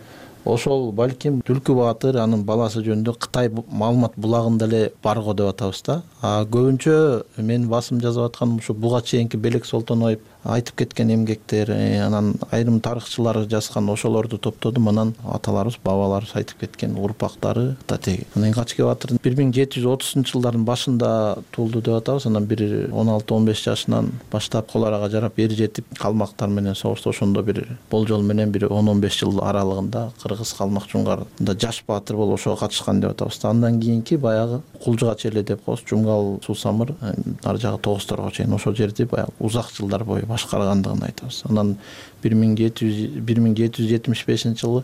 ошол балким Түлкү Баатыр анын баласы жөнүндө Кытай маалымат булагында эле барго деп атабыз да. А көбүнчө мен басым жазып атканым ушу буга чейинки Белек Солтоноев айтып кеткен эмгектер, анан айрым тарыхчылар жазган ошолорду топтодум. Анан аталарыбыз, бабаларыбыз айтып кеткен урпактары татеги. Анан Качке Батыр бир миң жети жүз отузунчу жылдардын башында туулду деп атабыз. Анан бир он алты он беш жашынан баштап кол арага жарап эр жетип калмактар менен согушту. Ошондо бир болжол менен бир он он беш жыл аралыгында кыргыз калмак жунгарда жаш баатыр болуп ошого катышкан деп атабыз. Андан кийинки баягы Кулжуга челе деп коебуз. Жумгал Суу Самыр ар жагы Тогузторго чейин ошол жерди баягы узак жылдар бою башкаргандыгын айтабыз. Анан бир миң жети жүз жетимиш бешинчи жылы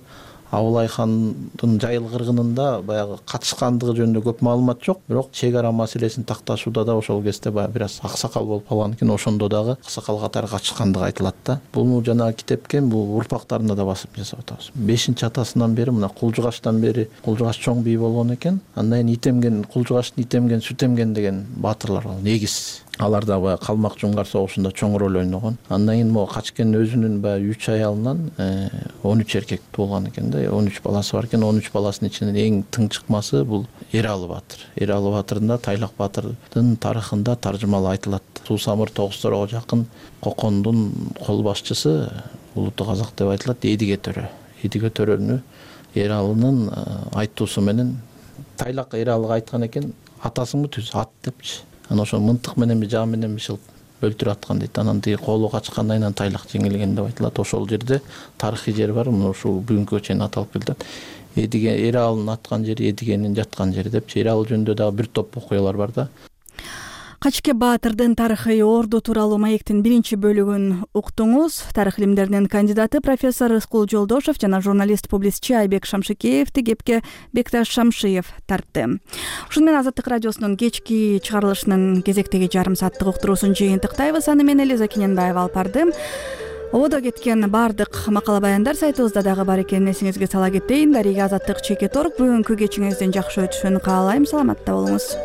Абылай хандын Жайыл кыргынында баягы катышкандыгы жөнүндө көп маалымат жок. Бирок чек ара маселесин такташууда да ошол кезде баягы бир аз аксакал болуп калган экен. Ошондо дагы аксакал катары катышкандыгы айтылат да. Бул жанагы китепке бул урпактарына да басып жасап атабыз. бешинчи атасынан бери мына Кулжугаштан бери Кулжугаш чоң бий болгон экен. Андан кийин Итемген, Кулжугаштын Итемген, Сүтемген деген баатырлар бар. Негиз алар да баягы калмак жунгар согушунда чоң роль ойногон. Андан кийин могу Качкенин өзүнүн баягы үч аялынан он үч эркек туулган экен да. он үч баласы бар экен. он үч баласынын ичинен эң тың чыкмасы бул Эралы Баатыр. Эралы Баатырдын да Тайлак Баатырдын тарыхында таржымалы айтылат. Суу Самыр Тогузторго жакын Кокондун кол башчысы улуттук казак деп айтылат. Эдиге төрө. Эдиге төрөнү Эралынын айтуусу менен тайлак эралыга айткан экен, атасыңбы түз ат депчи. Анан ошо мынтык мененби жаа мененби шылып өлтүрүп аткан дейт. Анан тиги колу качкандан кийин тайлак жеңилген деп айтылат. Ошол жерде тарыхый жер бар, мына ушул бүгүнкүгө чейин аталып келет. Эдиген эралын аткан жери, эдигенин жаткан жери депчи. Эрал жөнүндө дагы бир топ окуялар бар да. Качке Баатырдын тарыхый орду тууралуу маектин биринчи бөлүгүн уктуңуз. Тарых илимдеринин кандидаты профессор Рыскул Жолдошев жана журналист-публицистчи Айбек Шамшыкеевди кепке Бекташ Шамшиев тартты. Ушуну менен Азаттык радиосунун кечки чыгарылышынын кезектеги жарым сааттык уктуруусун жыйынтыктайбыз. Аны мен Элиза Кененбаева алып бардым. Ободо кеткен бардык макала баяндар сайтыбызда дагы бар экенин эсиңизге сала кетейин. Дарига Азаттык чекит орг. Бүгүнкү кечиңиздин жакшы өтүшүн каалайм. Саламатта болуңуз.